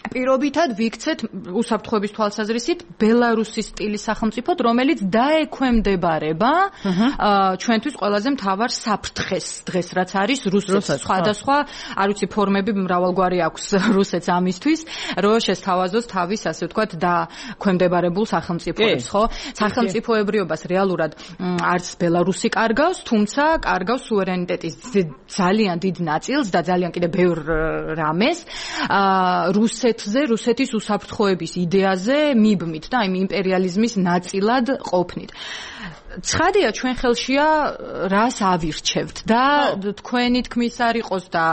პირობითად ვიქცეთ უსაფრთხოების თვალსაზრისით ბელარუსის სტილის სახელმწიფოდ, რომელიც დაექვემდებარება ჩვენთვის ყველაზე მთავარ საფრთხეს დღეს, რაც არის რუსეთს. სხვადასხვა, არ ვიცი, ფორმები მრავალგვარი აქვს რუსეთს ამისთვის, რომ შესთავაზოს თავის, ასე ვთქვათ, დაქვემდებარებულ სახელმწიფოებს, ხო? სახელმწიფოებრიობას რეალურად არც ბელარუსი კარგავს, თუმცა კარგავს სუვერენიტეტის ძალიან დიდ ნაწილს და ძალიან კიდე ბევრ რამეს. რუსეთი ზე რუსეთის უსაფრთხოების იდეაზე მიბმით და იმ იმპერიალიზმის ნაწილად ყოფნით. ცხადია ჩვენ ხელშია რას ავირჩევთ და თქვენი თქმის არ იყოს და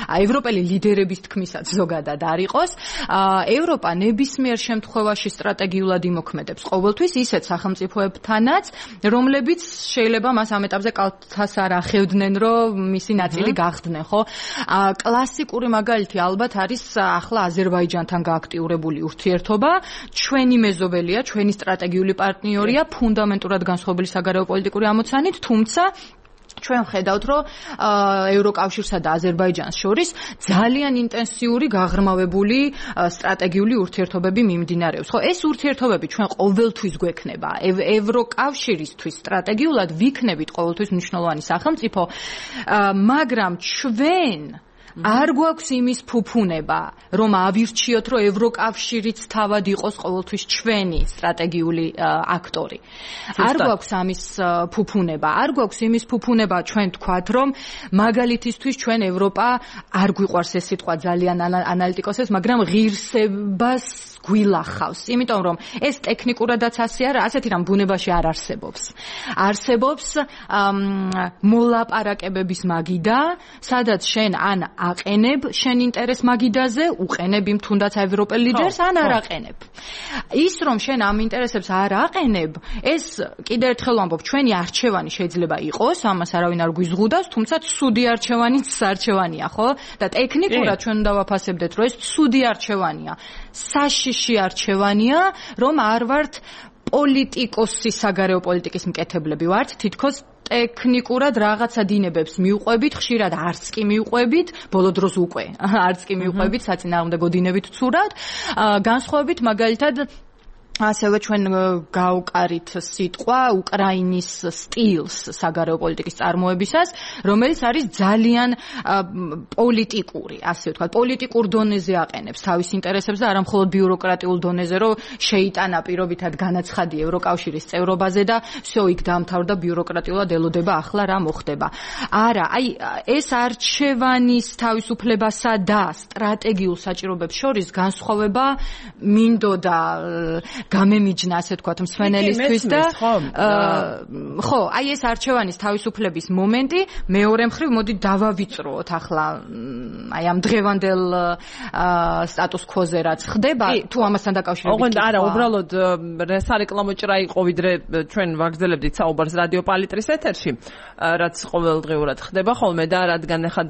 ევროპელი ლიდერების თქმისაც ზოგადად არ იყოს. ევროპა ნებისმიერ შემთხვევაში სტრატეგიულად იმოქმედებს ყოველთვის ისეთ სახელმწიფოებთანაც, რომლებიც შეიძლება მას ამ ეტაპზე კალთას არ ახევდნენ, რომ მისი ნაწილი გახდნენ, ხო? კლასიკური მაგალითი ალბათ არის ახლა აზერბაიჯანთან გააქტიურებული ურთიერთობა. ჩვენი მეზობელია, ჩვენი სტრატეგიული პარტნიორია, ფუნდამენტურად განსხვავებული საგარეო პოლიტიკური ამოცანით, თუმცა ჩვენ ვხედავთ, რომ ევროკავშირსა და აზერბაიჯანს შორის ძალიან ინტენსიური გაღრმავებული სტრატეგიული ურთიერთობები მიმდინარეობს. ხო, ეს ურთიერთობები ჩვენ ყოველთვის გვექნება. ევროკავშირისთვის სტრატეგიულად ვიქნებით ყოველთვის მნიშვნელოვანი სახელმწიფო, მაგრამ ჩვენ არ გვაქვს იმის ფუფუნება, რომ ავირჩიოთ, რომ ევროკავშირიც თავად იყოს ყოველთვის ჩვენი სტრატეგიული აქტორი. არ გვაქვს ამის ფუფუნება, არ გვაქვს იმის ფუფუნება ჩვენ თქვათ, რომ მაგალითისთვის ჩვენ ევროპა არ გვიყვარს ეს სიტყვა ძალიან ანალიტიკოსებს, მაგრამ ღირსებას გვილახავს, იმიტომ რომ ეს ტექნიკურადაც ასე არა, ასეთი რამ ბუნებაში არ არსებობს. არსებობს მოლაპარაკებების მაგიდა, სადაც შენ ან აყენებ შენ ინტერეს მაგიდაზე, უყენებ იმ თუნდაც ევროპელ ლიდერს, ან არ აყენებ. ის რომ შენ ამ ინტერესებს არ აყენებ, ეს კიდევ ერთხელ ვამბობ, ჩვენი არჩევანი შეიძლება იყოს, ამას არავინ არ გვიზღუდავს, თუმცა ცუდი არჩევანიც არჩევანია, ხო? და ტექნიკურად ჩვენ უნდა ვაფასებდეთ, რომ ეს ცუდი არჩევანია. საშიში ჯიშში არჩევანია, რომ არ ვართ პოლიტიკოსი საგარეო პოლიტიკის მკეთებლები ვართ, თითქოს ტექნიკურად რაღაცა დინებებს მიუყვებით, ხშირად არც კი მიუყვებით, ბოლო დროს უკვე არც კი მიუყვებით, საწინააღმდეგო დინებით ცურად, განსხვავებით მაგალითად ასევე ჩვენ გავკარით სიტყვა უკრაინის სტილს საგარეო პოლიტიკის წარმოებისას, რომელიც არის ძალიან პოლიტიკური, ასე ვთქვათ, პოლიტიკურ დონეზე აყენებს თავის ინტერესებს და არა მხოლოდ ბიუროკრატიულ დონეზე, რომ შეიტანა პირობითად განაცხადი ევროკავშირის წევრობაზე და всё, იქ დაამთავრდა ბიუროკრატიულად ელოდება ახლა რა მოხდება. არა, აი ეს არჩევანის თავისუფლებასა და სტრატეგიულ საჭიროებებს შორის განსხვავება მინდოდა გამემიჯნა, ასე ვთქვათ, მსვენელისთვის და ხო, აი ეს არჩევანის თავისუფლების მომენტი მეორე მხრივ მოდი დავავიწროთ ახლა აი ამ დღევანდელ სტატუს ქვოზე რაც ხდება, თუ ამასთან დაკავშირებით. ოღონდ არა, უბრალოდ სარეკლამო ჭრა იყო, ვიდრე ჩვენ ვაგრძელებდით საუბარს რადიო პალიტრის ეთერში, რაც ყოველდღიურად ხდება ხოლმე და რადგან ახლა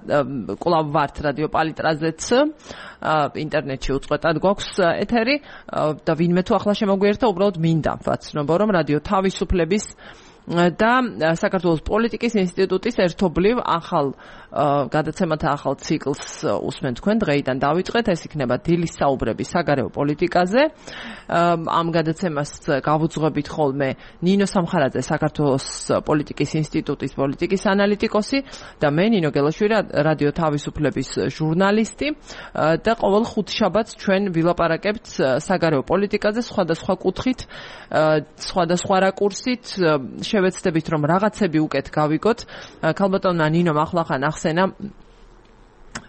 კვლავ ვართ რადიო პალიტრაზეც ინტერნეტში უწყვეტად გვაქვს ეთერი და ვინმე თუ ახლა შემოგვიერთდა, უბრალოდ მინდა ვაცნობო, რომ რადიო თავისუფლების და საქართველოს პოლიტიკის ინსტიტუტის ერთობლივ ახალ გადაცემათა ახალ ციკლს უსმენთ თქვენ. დღეიდან დავიწყეთ, ეს იქნება დილის საუბრები საგარეო პოლიტიკაზე. ამ გადაცემას გავუძღვებით ხოლმე ნინო სამხარაძე, საქართველოს პოლიტიკის ინსტიტუტის პოლიტიკის ანალიტიკოსი და მე ნინო გელაშვილი, რადიო თავისუფლების ჟურნალისტი და ყოველ ხუთშაბათს ჩვენ ვილაპარაკებთ საგარეო პოლიტიკაზე სხვადასხვა კუთხით, სხვადასხვა რაკურსით, შევეცდებით რომ რაღაცები უკეთ გავიგოთ. ქალბატონმა ნინომ ახლახან ახსენა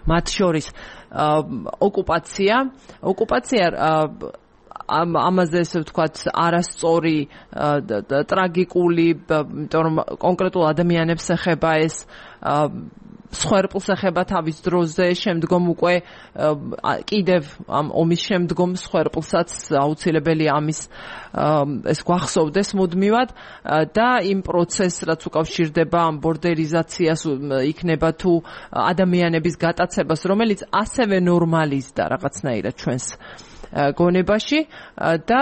მათ შორის ოკუპაცია, ოკუპაცია ამ ამაზე ესე ვთქვათ არასწორი ტრაგიკული, იმიტომ რომ კონკრეტულ ადამიანებს ეხება ეს, სხვერპლს ეხება თავის დროზე, შემდგომ უკვე კიდევ ამ ომის შემდგომ სხვერპლსაც აუცილებელია ამის ეს გვახსოვდეს მუდმივად და იმ პროცესს რაც უკავშირდება ამ ბორდერიზაციას იქნება თუ ადამიანების გატაცებას, რომელიც ასევე ნორმალიზდა რაღაცნაირად ჩვენს გონებაში და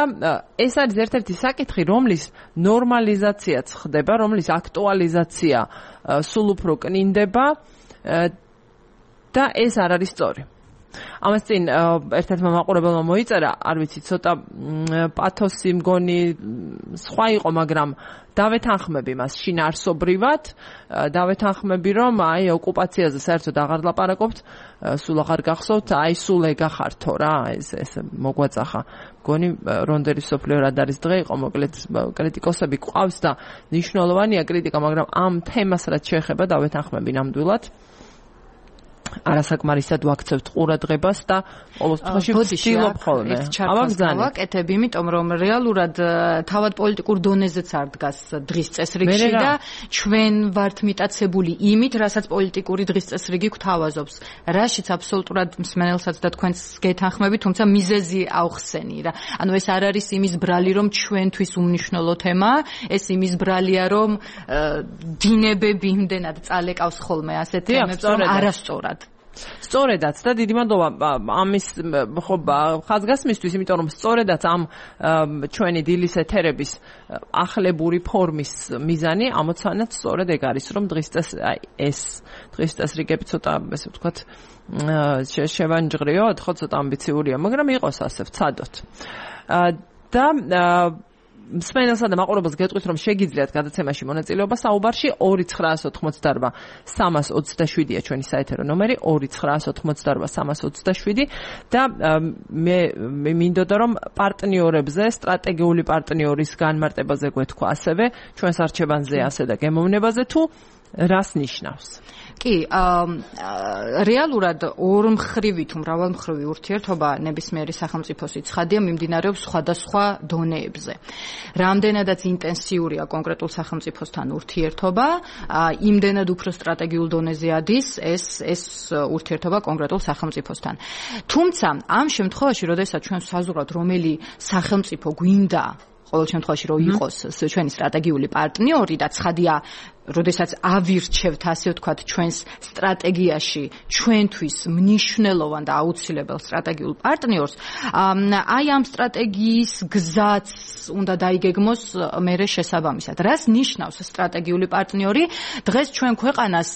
ეს არის ერთ-ერთი საკითხი, რომლის ნორმალიზაციაც ხდება, რომლის აქტუალიზაცია სულ უფრო კნინდება და ეს არ არის სწორი. ამას წინ ერთ-ერთმა მაყურებელმა მოიწერა, არ ვიცი, ცოტა პათოსი მგონი სხვა იყო, მაგრამ დავეთანხმები მას შინაარსობრივად, დავეთანხმები, რომ აი ოკუპაციაზე საერთოდ აღარ ლაპარაკობთ, სულ აღარ გახსოვთ, აი სულ ეგა ხართო რა, ეს ეს მოგვაწახა. მგონი რონდერის სოფლიო რადარის დღე იყო, მოკლედ კრიტიკოსები ყავს და მნიშვნელოვანია კრიტიკა, მაგრამ ამ თემას რაც შეეხება დავეთანხმები ნამდვილად. არასაკმარისად ვაქცევთ ყურადღებას და ყოველ შემთხვევაში ვცდილობ ხოლმე. ამას გავაკეთებ, იმიტომ რომ რეალურად თავად პოლიტიკურ დონეზეც არ დგას დღის წესრიგში და ჩვენ ვართ მიტაცებული იმით, რასაც პოლიტიკური დღის წესრიგი გვთავაზობს. რაშიც აბსოლუტურად მსმენელსაც და თქვენს გეთანხმები, თუმცა მიზეზი ავხსენი რა. ანუ ეს არ არის იმის ბრალი, რომ ჩვენთვის უმნიშვნელო თემაა, ეს იმის ბრალია, რომ დინებები იმდენად წალეკავს ხოლმე ასეთ თემებს, რომ არასწორად. სწორედაც და დიდი მადლობა ამის ხო ხაზგასმისთვის, იმიტომ რომ სწორედაც ამ ჩვენი დილის ეთერების ახლებური ფორმის მიზანი ამოცანად სწორედ ეგ არის, რომ დღის წეს ეს დღის წესრიგები ცოტა ესე ვთქვათ შევანჯღრიოთ, ხო ცოტა ამბიციურია, მაგრამ იყოს ასე ვცადოთ. და მსმენელსა და მაყურებელს გეტყვით, რომ შეგიძლიათ გადაცემაში მონაწილეობა საუბარში ორი ცხრაასი ოცდაოთხმოცდაარბა სამას ოცდაშვიდია ჩვენი საეთერო ნომერი ორი ცხრაასი ოცდაოთხმოცდაარბა სამას ოცდაშვიდი და მე მინდოდა რომ პარტნიორებზე, სტრატეგიული პარტნიორის განმარტებაზე გვეთქვა ასევე ჩვენს არჩევანზე ასე და გემოვნებაზე თუ რას ნიშნავს. კი, რეალურად ორმხრივი თუ მრავალმხრივი ურთიერთობა ნებისმიერი სახელმწიფოს ცხადია მიმდინარეობს სხვადასხვა დონეებზე. რამდენადაც ინტენსიურია კონკრეტულ სახელმწიფოსთან ურთიერთობა, იმდენად უფრო სტრატეგიულ დონეზე ადის ეს ეს ურთიერთობა კონკრეტულ სახელმწიფოსთან. თუმცა ამ შემთხვევაში, როდესაც ჩვენ საზღვრავთ რომელი სახელმწიფო გვინდა ყოველ შემთხვევაში რომ იყოს ჩვენი სტრატეგიული პარტნიორი და ცხადია როდესაც ავირჩევთ ასე ვთქვათ ჩვენს სტრატეგიაში ჩვენთვის მნიშვნელოვან და აუცილებელ სტრატეგიულ პარტნიორს აი ამ სტრატეგიის გზაც უნდა დაიგეგმოს მერე შესაბამისად რას ნიშნავს სტრატეგიული პარტნიორი დღეს ჩვენ ქვეყანას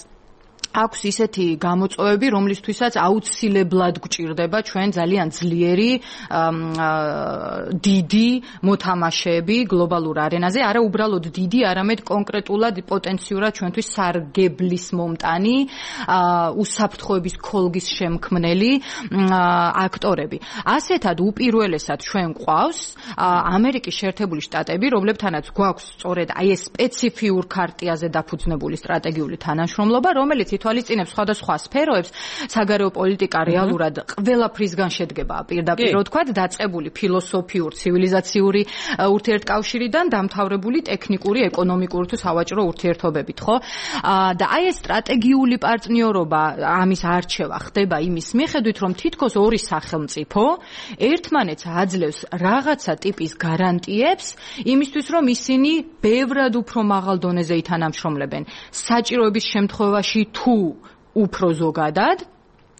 აქვს ისეთი გამოწვევები, რომლისთვისაც აუცილებლად გვჭირდება ჩვენ ძალიან ძლიერი დიდი მოთამაშეები გლობალურ არენაზე, არა უბრალოდ დიდი, არამედ კონკრეტულად პოტენციურად ჩვენთვის სარგებლის მომტანი, უსაფრთხოების ქოლგის შემქმნელი აქტორები. ასეთად უპირველესად ჩვენ გვყავს ამერიკის შეერთებული შტატები, რომლებთანაც გვაქვს სწორედ აი ეს სპეციფიურ ქარტიაზე დაფუძნებული სტრატეგიული თანამშრომლობა, რომელიც თვალისწინებს სხვადასხვა სფეროებს, საგარეო პოლიტიკა რეალურად ყველაფრისგან შედგება პირდაპირ ვთქვათ, დაწყებული ფილოსოფიურ, ცივილიზაციური ურთიერთკავშირიდან დამთავრებული ტექნიკური, ეკონომიკური თუ სავაჭრო ურთიერთობებით, ხო? და აი ეს სტრატეგიული პარტნიორობა, ამის არჩევა ხდება იმის მიხედვით, რომ თითქოს ორი სახელმწიფო ერთმანეთს აძლევს რაღაცა ტიპის გარანტიებს იმისთვის, რომ ისინი ბევრად უფრო მაღალ დონეზე ითანამშრომლებენ საჭიროების შემთხვევაში თუ უფრო ზოგადად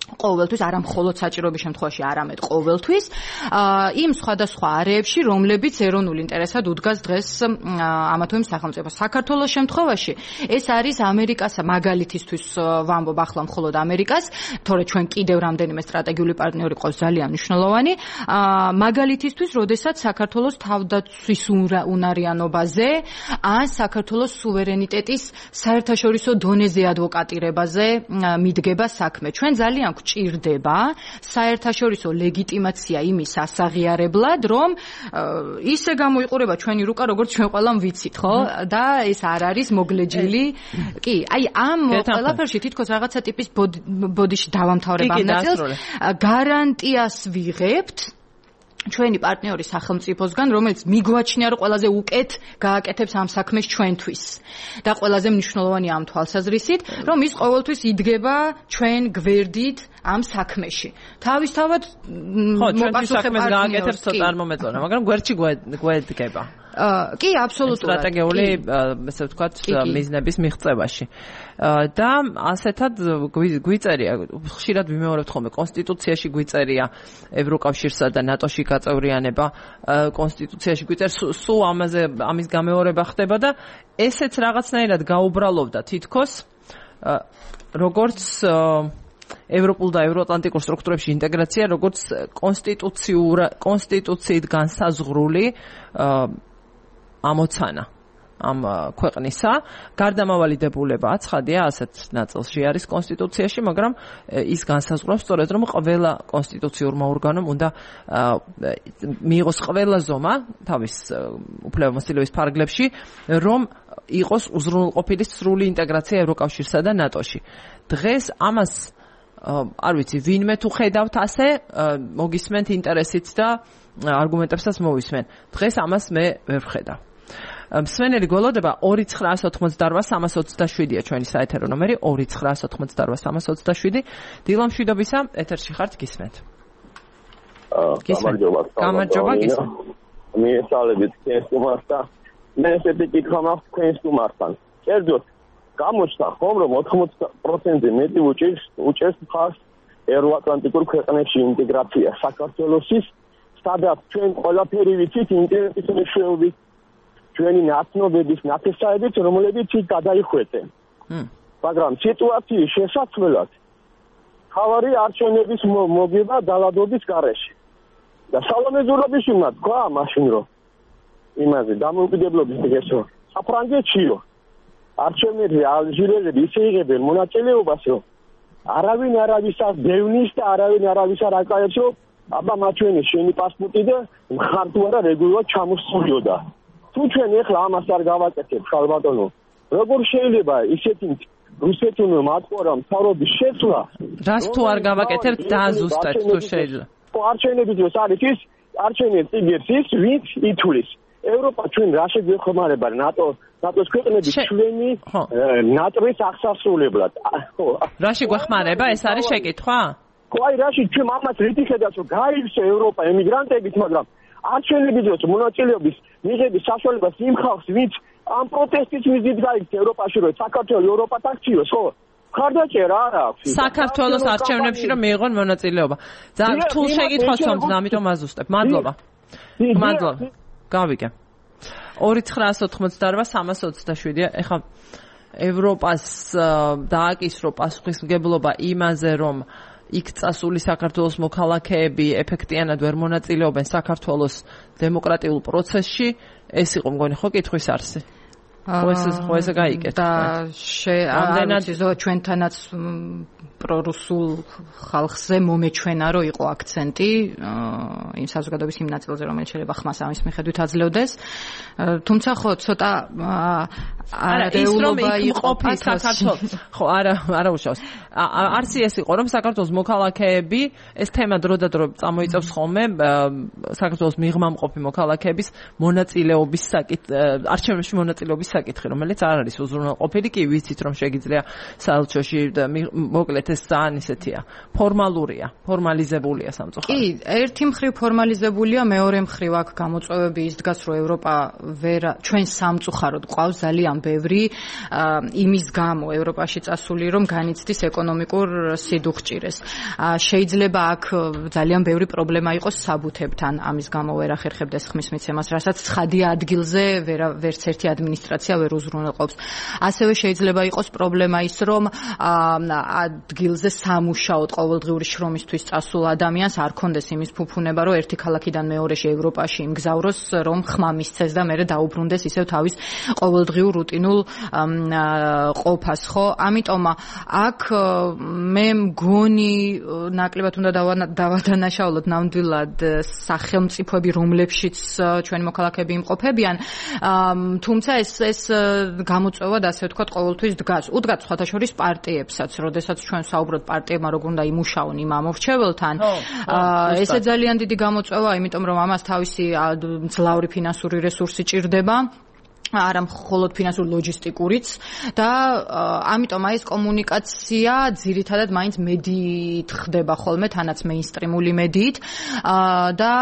ყოველთვის არა მხოლოდ საჭიროების შემთხვევაში, არამედ ყოველთვის იმ სხვადასხვა არეებში, რომლებიც ეროვნულ ინტერესად უდგას დღეს ამა თუ იმ სახელმწიფოს. საქართველოს შემთხვევაში ეს არის ამერიკას მაგალითისთვის ვამბობ ახლა მხოლოდ ამერიკას, თორე ჩვენ კიდევ რამდენიმე სტრატეგიული პარტნიორი ყავს ძალიან მნიშვნელოვანი, მაგალითისთვის, როდესაც საქართველოს თავდაცვის უნარიანობაზე ან საქართველოს სუვერენიტეტის საერთაშორისო დონეზე ადვოკატირებაზე მიდგება საქმე. ჩვენ ძალიან გვჭირდება საერთაშორისო ლეგიტიმაცია იმის ასაღიარებლად, რომ ისე გამოიყურება ჩვენი რუკა, როგორც ჩვენ ყველამ ვიცით, ხო? და ეს არ არის მოგლეჯილი. კი, აი ამ ყველაფერში თითქოს რაღაცა ტიპის ბოდიში დავამთავრებ ამ ნაწილს. გარანტიას ვიღებთ ჩვენი პარტნიორი სახელმწიფოსგან, რომელიც მიგვაჩნია, რომ ყველაზე უკეთ გააკეთებს ამ საქმეს ჩვენთვის. და ყველაზე მნიშვნელოვანი ამ თვალსაზრისით, რომ ის ყოველთვის იდგება ჩვენ გვერდით ამ საქმეში. თავისთავად მოპასუხებელ გააკეთებს ცოტა არ მომეწონა, მაგრამ გვერდში გვედგება. კი, აბსოლუტურად. სტრატეგიული, ესე ვთქვათ, მიზნების მიღწევაში. და ასეთად გვიწერია, ხშირად ვიმეორებთ ხოლმე, კონსტიტუციაში გვიწერია ევროკავშირსა და ნატოში გაწევრიანება, კონსტიტუციაში გვიწერს, სულ ამაზე ამის გამეორება ხდება და ესეც რაღაცნაირად გაუბრალოვდა თითქოს, როგორც ევროპულ და ევროატლანტიკურ სტრუქტურებში ინტეგრაცია, როგორც კონსტიტუციურ კონსტიტუციით განსაზღვრული ამოცანა ამ ქვეყნისა. გარდამავალი დებულება ცხადია, ასეთ ნაწილში არის კონსტიტუციაში, მაგრამ ის განსაზღვრავს სწორედ, რომ ყველა კონსტიტუციურმა ორგანომ უნდა მიიღოს ყველა ზომა თავის უფლებამოსილების ფარგლებში, რომ იყოს უზრუნველყოფილი სრული ინტეგრაცია ევროკავშირსა და ნატოში. დღეს ამას არ ვიცი, ვინმე თუ ხედავთ ასე, მოგისმენთ ინტერესით და არგუმენტებსაც მოვისმენ. დღეს ამას მე ვერ ვხედავ. მსმენელი გველოდება ორი ცხრაას ოთხმოცდაოთხ სამას ოცდაშვიდია ჩვენი საეთერო ნომერი ორი ცხრაას ოთხმოცდაოთხ სამას ოცდაშვიდი. დილა მშვიდობისა, ეთერში ხართ, გისმენთ. გამარჯობა. გამარჯობა, გისმენთ. მიესალმებით ქესტუმარს და მე ესეთი კითხვა მაქვს ქესტუმართან. კერძოდ გამოჩნდა ხომ რომ ოთხმოცდა პროცენტი მეტი უჭერს უჭერს მხარს ევროატლანტიკურ ქვეყნებში ინტეგრაცია საქართველოსის, სადაც ჩვენ ყველაფერი ვიცით ინტერნეტის მეშვეობით, ჩვენი ნაცნობების ნათესაებით, რომლებიც იქ გადაიხვეწენ. მაგრამ სიტუაციის შესაძლებლად ხავარი არჩევნების მოგება დალადობის გარეშე. და სალომე ზურაბიშვილმა თქვა მაშინ რომ იმაზე დამოუკიდებლობის დღესო საფრანგეთშიო არჩევნებზე ალჟირელები ისე იღებენ მონაწილეობას, რომ არავინ არავისას დევნის და არავინ არავის არ აკაებს, რომ აბა მაჩვენე შენი პასპორტი და მხარ თუ არა რეგულარულად ჩამოსულიოდა. თუ ჩვენ ეხლა ამას არ გავაკეთებ, ხალბატონო, როგორ შეიძლება ისეთი რუსეთუნო მატყორა მთავრობის შეცვლა? რას თუ არ გავაკეთებთ დააზუსტეთ თუ შეიძლება? არჩევნები დროს არის ის არჩევნებს იგებს ის, ვინც ითვლის. ევროპა ჩვენ რა შეგვეხმარება ნატო ნატოს ქვეყნები ჩვენი ნატოს აღსასრულებლად. ხო. რაში გვეხმარება? ეს არის შეკითხვა? ხო, აი რაში ჩვენ ამას რითი ხედავთ, რომ გაივსო ევროპა ემიგრანტებით, მაგრამ არ შეიძლება მონაწილეობის მიღების საშუალებას იმ ხალხს, ვინც ამ პროტესტის მიზნით გაიქცა ევროპაში, რომ საქართველოს ევროპას აქციოს, ხო? ხარდაჭერა არ აქვს. საქართველოს არჩევნებში რომ მიიღონ მონაწილეობა. ძალიან რთულ შეკითხვას ვამბობ, ამიტომ აზუსტებ. მადლობა. მადლობა. გავიგე. ორი ცხრაას ოთხმოცდაორვა სამას ოცდაშვიდია. ეხლა ევროპას დააკისრო პასუხისმგებლობა იმაზე, რომ იქ წასული საქართველოს მოქალაქეები ეფექტიანად ვერ მონაწილეობენ საქართველოს დემოკრატიულ პროცესში, ეს იყო მგონი ხო კითხვის არსი? ხო ეს ხო ესე გაიგეთ. და ამდენად ჩვენთანაც პრორუსულ ხალხზე მომეჩვენა, რომ იყო აქცენტი იმ საზოგადოების იმ ნაწილზე, რომელიც შეიძლება ხმას ამის მიხედვით აძლევდეს. თუმცა ხო ცოტა არეულობა იყო საქართველოს. ხო, არა, არა უშავს. არსი ეს იყო, რომ საქართველოს მოქალაქეები ეს თემა დროდადრო წამოიწევს ხოლმე საქართველოს მიღმამყოფი მოქალაქეების მონაწილეობის საკითხი, არჩევნებში მონაწილეობის საკითხი, რომელიც არ არის უზრუნველყოფილი, კი ვიცით, რომ შეგიძლია საელჩოში მოკლედ ეს ძალიან ისეთია, ფორმალურია, ფორმალიზებულია სამწუხაროდ. კი, ერთი მხრივ ფორმალიზებულია, მეორე მხრივ აქ გამოწვევები ის დგას, რომ ევროპა ვერ ჩვენ სამწუხაროდ ყავს ძალიან ბევრი იმის გამო ევროპაში წასული, რომ განიცდის ეკონომიკურ სიდუხჭირეს. შეიძლება აქ ძალიან ბევრი პრობლემა იყოს საბუთებთან, ამის გამო ვერ ახერხებდეს ხმის მიცემას, რასაც ცხადია ადგილზე ვერც ერთი ადმინისტრაცია ვერ უზრუნველყოფს. ასევე შეიძლება იყოს პრობლემა ის, რომ ადგილზე სამუშაოდ ყოველდღიური შრომისთვის წასულ ადამიანს არ კონდეს იმის ფუფუნება, რომ ერთი ქალაქიდან მეორეში ევროპაში იმგზავროს, რომ ხმა მისცეს და მერე დაუბრუნდეს ისევ თავის ყოველდღიურ რუტინულ ყოფას, ხო? ამიტომ აქ მე მგონი ნაკლებად უნდა დავადანაშაულოთ ნამდვილად სახელმწიფოები, რომლებშიც ჩვენი მოქალაქეები იმყოფებიან, თუმცა ეს ეს გამოწვევად ასე ვთქვათ ყოველთვის დგას. უდგათ სხვათა შორის პარტიებსაც, როდესაც ჩვენ საუბრობთ პარტიებმა როგორ უნდა იმუშაონ იმ ამორჩეველთან. ესე ძალიან დიდი გამოწვევა, იმიტომ რომ ამას თავისი მძლავრი ფინანსური რესურსი ჭირდება. არა მხოლოდ ფინანსური ლოჯისტიკურიც და ამიტომ აი ეს კომუნიკაცია ძირითადად მაინც მედიით ხდება ხოლმე, თანაც მეინსტრიმული მედიით და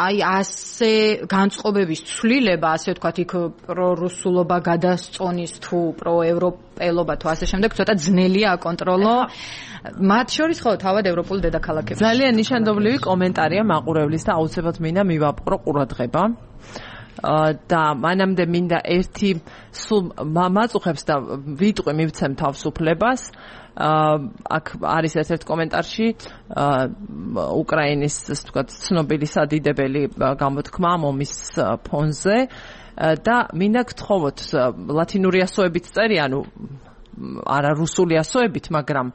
აი ასე განწყობების ცვლილება, ასე ვთქვათ, იქ პრორუსულობა გადასწონის თუ პროევროპელობა თუ ასე შემდეგ ცოტა ძნელია აკონტროლო. მათ შორის ხო თავად ევროპული დედაქალაქები. ძალიან ნიშანდობლივი კომენტარია მაყურებლის და აუცილებლად მინდა მივაპყრო ყურადღება. და მანამდე მინდა ერთი სულ მაწუხებს და ვიტყვი მივცემ თავისუფლებას. აქ არის ერთ-ერთ კომენტარში უკრაინის ასე ვთქვათ ცნობილი სადიდებელი გამოთქმა მომის ფონზე და მინდა გთხოვოთ ლათინური ასოებით წერი, ანუ არა რუსული ასოებით, მაგრამ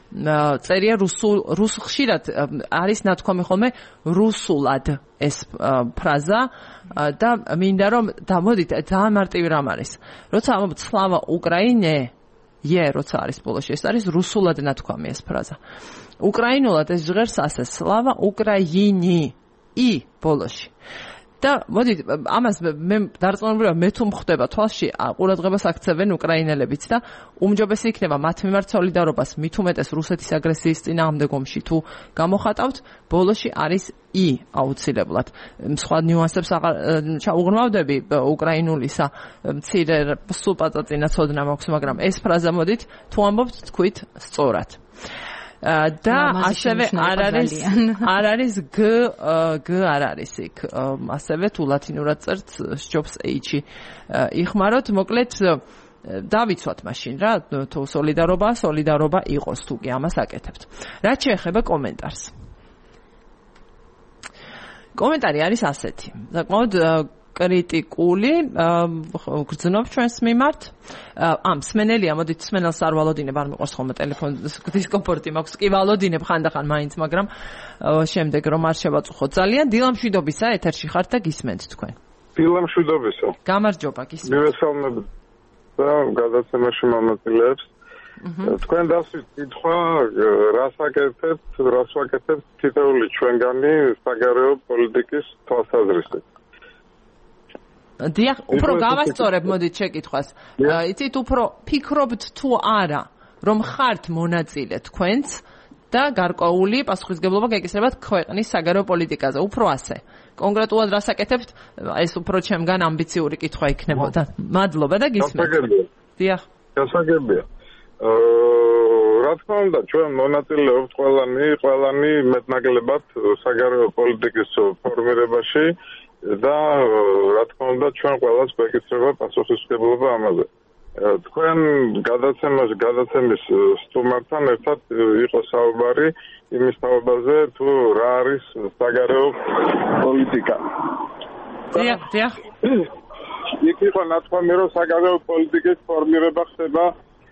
წერია რუსულ რუსულ ხშირად არის ნათქვამი ხოლმე რუსულად ეს ფრაზა და მინდა რომ დამოდით ძალიან მარტივი რამ არის. როცა ამბობთ სლავა უკრაინე, ე როცა არის ბოლოში, ეს არის რუსულად ნათქვამი ეს ფრაზა. უკრაინულად ეს ჟღერს ასე სლავა უკრაინი ი ბოლოში. და მოდით ამას მე დარწმუნებულია მე თუ მხდება თვალში ყურადღებას აქცევენ უკრაინელებიც და უმჯობესი იქნება მათ მიმართ სოლიდარობას მით უმეტეს რუსეთის აგრესიის წინააღმდეგ ომში თუ გამოხატავთ, ბოლოში არის ი აუცილებლად. სხვა ნიუანსებს აღარ ჩაუღრმავდები უკრაინულისა, მცირე სულ პაწაწინა ცოდნა მაქვს, მაგრამ ეს ფრაზა მოდით თუ ამბობთ თქვით სწორად. და ასევე არ არის არ არის გ გ არ არის იქ ასევე თუ ლათინურად წერთ სჯობს h-ი იხმაროთ, მოკლედ დავიცვათ მაშინ რა, თუ სოლიდარობა სოლიდარობა იყოს თუ კი ამას აკეთებთ. რაც შეეხება კომენტარს, კომენტარი არის ასეთი, საკმაოდ კრიტიკული, გრძნობ ჩვენს მიმართ. ამ სმენელია, მოდით სმენელს არ ვალოდინებ, არ მიყვარს ხოლმე ტელეფონის დისკომფორტი მაქვს, კი ვალოდინებ ხანდახან მაინც, მაგრამ შემდეგ რომ არ შევაწუხოთ. ძალიან დილამშვიდობისა, ეთერში ხართ და გისმენთ თქვენ. დილამშვიდობისა. გამარჯობა, გისმენთ. მივესალმებ და გადაცემაში მომაწილეებს. თქვენ დასვით კითხვა, რას აკეთებთ, რას ვაკეთებთ თითოეული ჩვენგანი საგარეო პოლიტიკის თვალსაზრისით. დიახ, უფრო გავასწორებ მოდით შეკითხვას. იცით, უფრო ფიქრობთ თუ არა, რომ ხართ მონაწილე თქვენც და გარკვეული პასუხისგებლობა გაიკისრებათ ქვეყნის საგარეო პოლიტიკაზე. უფრო ასე. კონკრეტულად რას აკეთებთ? ეს უფრო ჩემგან ამბიციური კითხვა იქნებოდა. მადლობა და გისმენთ. დიახ. გასაგებია. რა თქმა უნდა, ჩვენ მონაწილეობთ ყველანი, ყველანი მეტნაკლებად საგარეო პოლიტიკის ფორმირებაში და რა თქმა უნდა, ჩვენ ყველას გვეკისრება პასუხისმგებლობა ამაზე. თქვენ გადაცემაში, გადაცემის სტუმართან ერთად იყო საუბარი იმის თაობაზე, თუ რა არის საგარეო პოლიტიკა. დიახ, დიახ. იქ იყო ნათქვამი, რომ საგარეო პოლიტიკის ფორმირება ხდება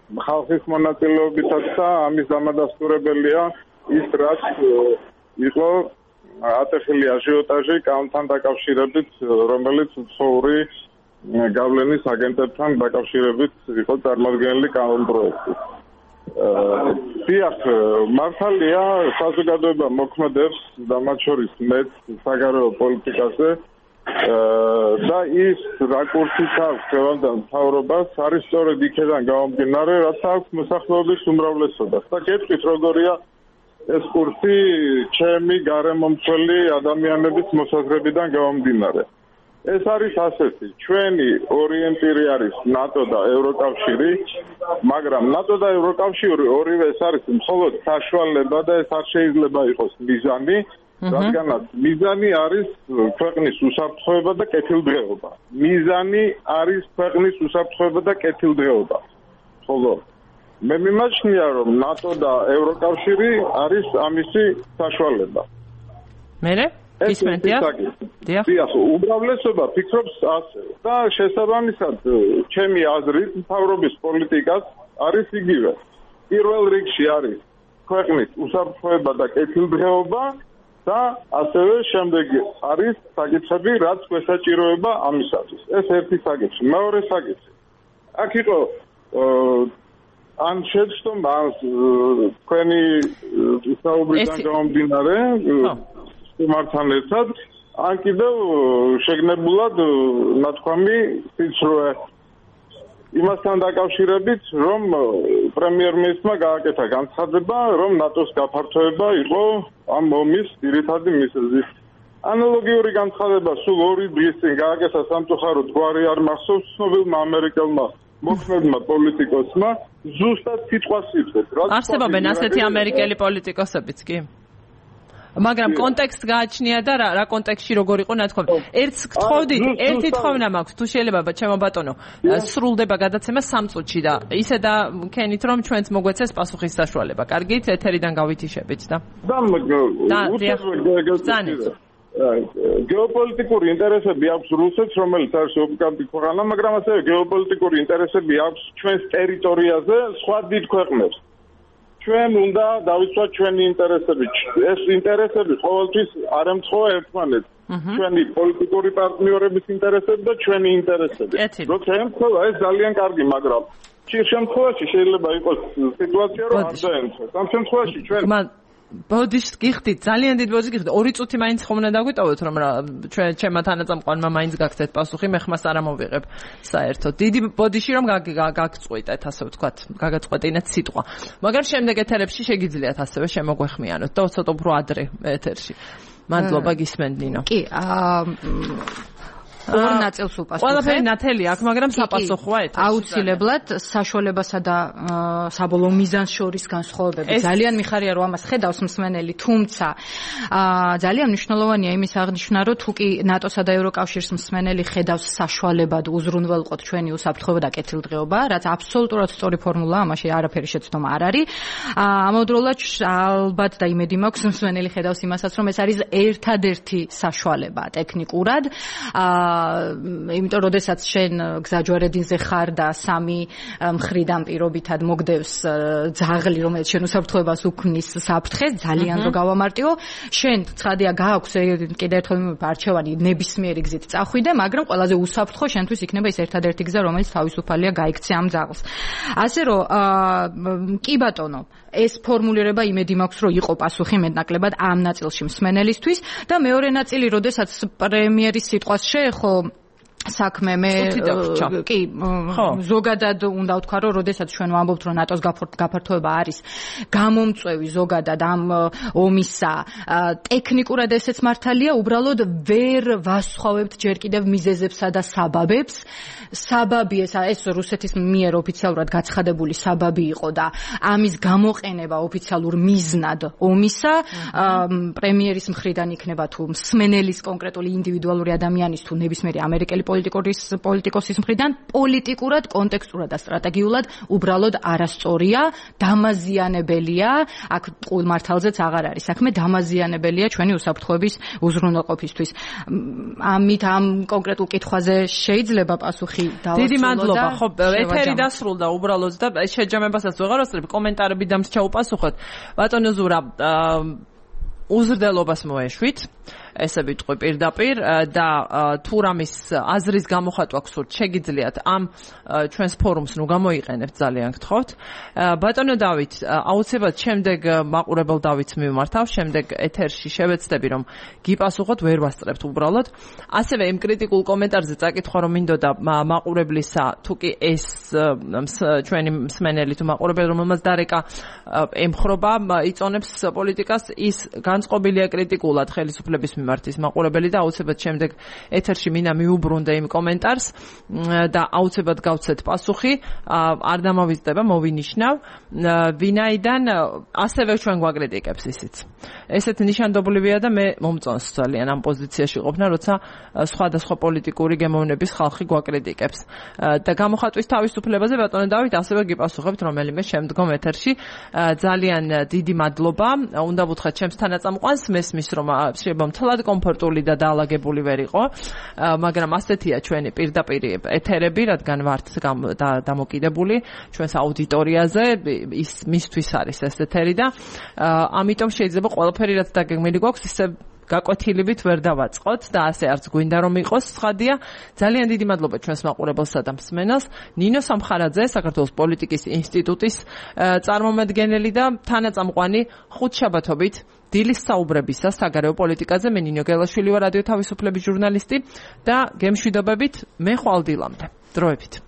ხალხის მონაწილეობითაც და ამის დამადასტურებელია ის, რაც იყო ატეხილი აჟიოტაჟი კანონთან დაკავშირებით, რომელიც მცხოვრი გავლენის აგენტებთან დაკავშირებით იყო წარმოდგენილი კანონპროექტი. დიახ, მართალია, საზოგადოება მოქმედებს და მათ შორის მეც საგარეო პოლიტიკაზე და ის რაკურსით აქვს ხელოვან მთავრობას არის სწორედ იქიდან გამომდინარე, რაც აქვს მოსახლეობის უმრავლესობას. და გეტყვით, როგორია ეს კურსი ჩემი გარემომცველი ადამიანების მოსაზრებიდან გამომდინარე. ეს არის ასეთი, ჩვენი ორიენტირი არის ნატო და ევროკავშირი, მაგრამ ნატო და ევროკავშირი ორივე ეს არის მხოლოდ საშუალება და ეს არ შეიძლება იყოს მიზანი, რადგანაც მიზანი არის ქვეყნის უსაფრთხოება და კეთილდღეობა. მიზანი არის ქვეყნის უსაფრთხოება და კეთილდღეობა. ხოლო მე მიმაჩნია, რომ ნატო და ევროკავშირი არის ამისი საშუალება. მერე? ისმენთ, დიახ? დიახ, უმრავლესობა ფიქრობს ასე და შესაბამისად ჩემი აზრით მთავრობის პოლიტიკას არის იგივე. პირველ რიგში არის ქვეყნის უსაფრთხოება და კეთილდღეობა და ასევე შემდეგი არის საკითხები, რაც გვესაჭიროება ამისათვის. ეს ერთი საკითხი. მეორე საკითხი. აქ იყო ან შეცდომა ან თქვენი საუბრიდან გამომდინარე სტუმართან ერთად, ან კიდევ შეგნებულად ნათქვამი სიცრუე იმასთან დაკავშირებით, რომ პრემიერ-მინისტრმა გააკეთა განცხადება, რომ ნატოს გაფართოება იყო ამ ომის ძირითადი მიზეზი. ანალოგიური განცხადება სულ ორი დღის წინ გააკეთა სამწუხაროდ გვარი არ მახსოვს ცნობილმა ამერიკელმა მოქმედმა პოლიტიკოსმა, ზუსტად სიტყვას იტყვის. არსებობენ ასეთი ამერიკელი პოლიტიკოსებიც კი? მაგრამ კონტექსტ გააჩნია და რა რა კონტექსტში როგორ იყო ნათქვამი. ერთს გთხოვდით, ერთი თხოვნა მაქვს, თუ შეიძლება ჩემო ბატონო, სრულდება გადაცემა სამ წუთში და ისე და ქენით რომ ჩვენც მოგვეცეს პასუხის საშუალება. კარგით, ეთერიდან გავითიშებით და. და გეოპოლიტიკური ინტერესები აქვს რუსეთს, რომელიც არის ოკუპანტი ქვეყანა, მაგრამ ასევე გეოპოლიტიკური ინტერესები აქვს ჩვენს ტერიტორიაზე სხვა დიდ ქვეყნებს. ჩვენ უნდა დავიცვათ ჩვენი ინტერესები. ეს ინტერესები ყოველთვის არ ემთხოვა ერთმანეთს. ჩვენი პოლიტიკური პარტნიორების ინტერესები და ჩვენი ინტერესები. როცა ემთხოვა, ეს ძალიან კარგი, მაგრამ ხშირ შემთხვევაში შეიძლება იყოს სიტუაცია, რომ არ დაემთხვეს. ამ შემთხვევაში ჩვენ ბოდიშს გიხდით, ძალიან დიდ ბოდიშს გიხდით. ორი წუთი მაინც ხომ უნდა დაგვიტოვოთ, რომ ჩვენ ჩემმა თანაწამყვანმა მაინც გაგცეთ პასუხი, მე ხმას არ ამოვიღებ საერთოდ. დიდი ბოდიში რომ გაგწყვიტეთ, ასე ვთქვათ, გაგაწყვეტინეთ სიტყვა. მაგრამ შემდეგ ეთერებში შეგიძლიათ ასევე შემოგვეხმიანოთ და ცოტა უფრო ადრე ეთერში. მადლობა, გისმენთ ნინო. კი, აა ორ ნაწილს უპასუხებ. ყველაფერი ნათელი აქვს, მაგრამ საპასუხოა ეთერში. აუცილებლად საშუალებასა და საბოლოო მიზანს შორის განსხვავებები. ძალიან მიხარია რომ ამას ხედავს მსმენელი, თუმცა ძალიან მნიშვნელოვანია იმის აღნიშვნა, რომ თუ კი ნატოსა და ევროკავშირის მსმენელი ხედავს საშუალებად უზრუნველყოთ ჩვენი უსაფრთხოება და კეთილდღეობა, რაც აბსოლუტურად სწორი ფორმულაა, ამაში არაფერი შეცდომა არ არის. ამავდროულად ალბათ და იმედი მაქვს მსმენელი ხედავს იმასაც, რომ ეს არის ერთადერთი საშუალება ტექნიკურად. იმიტომ რომ შესაძ შენ გზაჯვარედინზე ხარ და სამი მხრიდან პირობითად მოგდევს ძაღლი, რომელიც შენ უსაფრთხოებას უქმნის საფრთხეს, ძალიან რო გავამარტივო, შენ ცხადია გააქვს კიდევ ერთხელ არჩევანი ნებისმიერი გზით წახვიდე, მაგრამ ყველაზე უსაფრთხო შენთვის იქნება ის ერთადერთი გზა, რომელიც თავისუფალია გაიქცე ამ ძაღლს. ასე რომ კი ბატონო, ეს ფორმულირება იმედი მაქვს, რომ იყო პასუხი მეტნაკლებად ამ ნაწილში მსმენელისთვის და მეორე ნაწილი, როდესაც პრემიერის სიტყვას შეეხო საქმე მე კი ზოგადად უნდა ვთქვა რომ როდესაც ჩვენ ვამბობთ რომ ნატოს გაფართოება არის გამომწვევი ზოგადად ამ ომისა ტექნიკურად ესეც მართალია უბრალოდ ვერ ვასხვავებთ ჯერ კიდევ მიზეზებსა და საბაბებს საბაბი ეს ეს რუსეთის მიერ ოფიციალურად გაცხადებული საბაბი იყო და ამის გამოყენება ოფიციალურ მიზნად ომისა პრემიერის მხრიდან იქნება თუ მსმენელის კონკრეტული ინდივიდუალური ადამიანის თუ ნებისმიერი ამერიკელი პოლიტიკოს პოლიტიკოსის მხრიდან პოლიტიკურად, კონტექსტურად და სტრატეგიულად უბრალოდ არასწორია, დამაზიანებელია, აქ ყულ მართალზეც აღარ არის საქმე, დამაზიანებელია ჩვენი უსაფრთხოების უზრუნველყოფისთვის. ამით ამ კონკრეტულ კითხვაზე შეიძლება პასუხი დავასრულო. დიდი მადლობა. ხო, ეთერი დასრულდა უბრალოდ და შეჯამებასაც ვეღარ ვასწრებ, კომენტარები დამს ჩაუპასუხოთ. ბატონო ზურა, უზრდელობას მოეშვით. ესე ვიტყვი პირდაპირ და თუ რამის აზრის გამოხატვა გსურთ, შეგიძლიათ ამ ჩვენს ფორუმს ნუ გამოიყენებთ, ძალიან გთხოვთ. ბატონო დავით, აუცილებლად შემდეგ მაყურებელ დავითს მივმართავ, შემდეგ ეთერში შევეცდები რომ გიპასუხოთ, ვერ ვასწრებთ უბრალოდ. ასევე იმ კრიტიკულ კომენტარზე წაკითხვა რომ მინდოდა მაყურებლისა, თუ კი ეს ჩვენი მსმენელი თუ მაყურებელი რომელმაც დარეკა ემხრობა, იწონებს პოლიტიკას, ის განწყობილია კრიტიკულად ხელისუფლების მიმართ მაყურებელი და აუცილებლად შემდეგ ეთერში მინდა მიუბრუნდე იმ კომენტარს და აუცილებლად გავცეთ პასუხი, არ დამავიწყდება, მოვინიშნავ, ვინაიდან ასევე ჩვენ გვაკრიტიკებს ისიც. ესეთ ნიშანდობლივია და მე მომწონს ძალიან ამ პოზიციაში ყოფნა, როცა სხვადასხვა პოლიტიკური გემოვნების ხალხი გვაკრიტიკებს. და გამოხატვის თავისუფლებაზე ბატონო დავით ასევე გიპასუხებთ რომელიმე შემდგომ ეთერში. ძალიან დიდი მადლობა. უნდა ვუთხრათ ჩემს თანაწამყვანს, მესმის რომ შეიძლება მთლად კომფორტული და დაალაგებული ვერ იყო, მაგრამ ასეთია ჩვენი პირდაპირ ეთერები, რადგან ვართ დამოკიდებული ჩვენს აუდიტორიაზე, ის მისთვის არის ეს ეთერი და ამიტომ შეიძლება ყველაფერი რაც დაგეგმილი გვაქვს ისე გაკვეთილებით ვერ დავაწყოთ და ასე არც გვინდა რომ იყოს. ცხადია, ძალიან დიდი მადლობა ჩვენს მაყურებელსა და მსმენელს. ნინო სამხარაძე, საქართველოს პოლიტიკის ინსტიტუტის წარმომადგენელი და თანაწამყვანი ხუთშაბათობით დილის საუბრებისა საგარეო პოლიტიკაზე. მე ნინო გელაშვილი ვარ, რადიო თავისუფლების ჟურნალისტი და გემშვიდობებით მე ხვალ დილამდე. დროებით.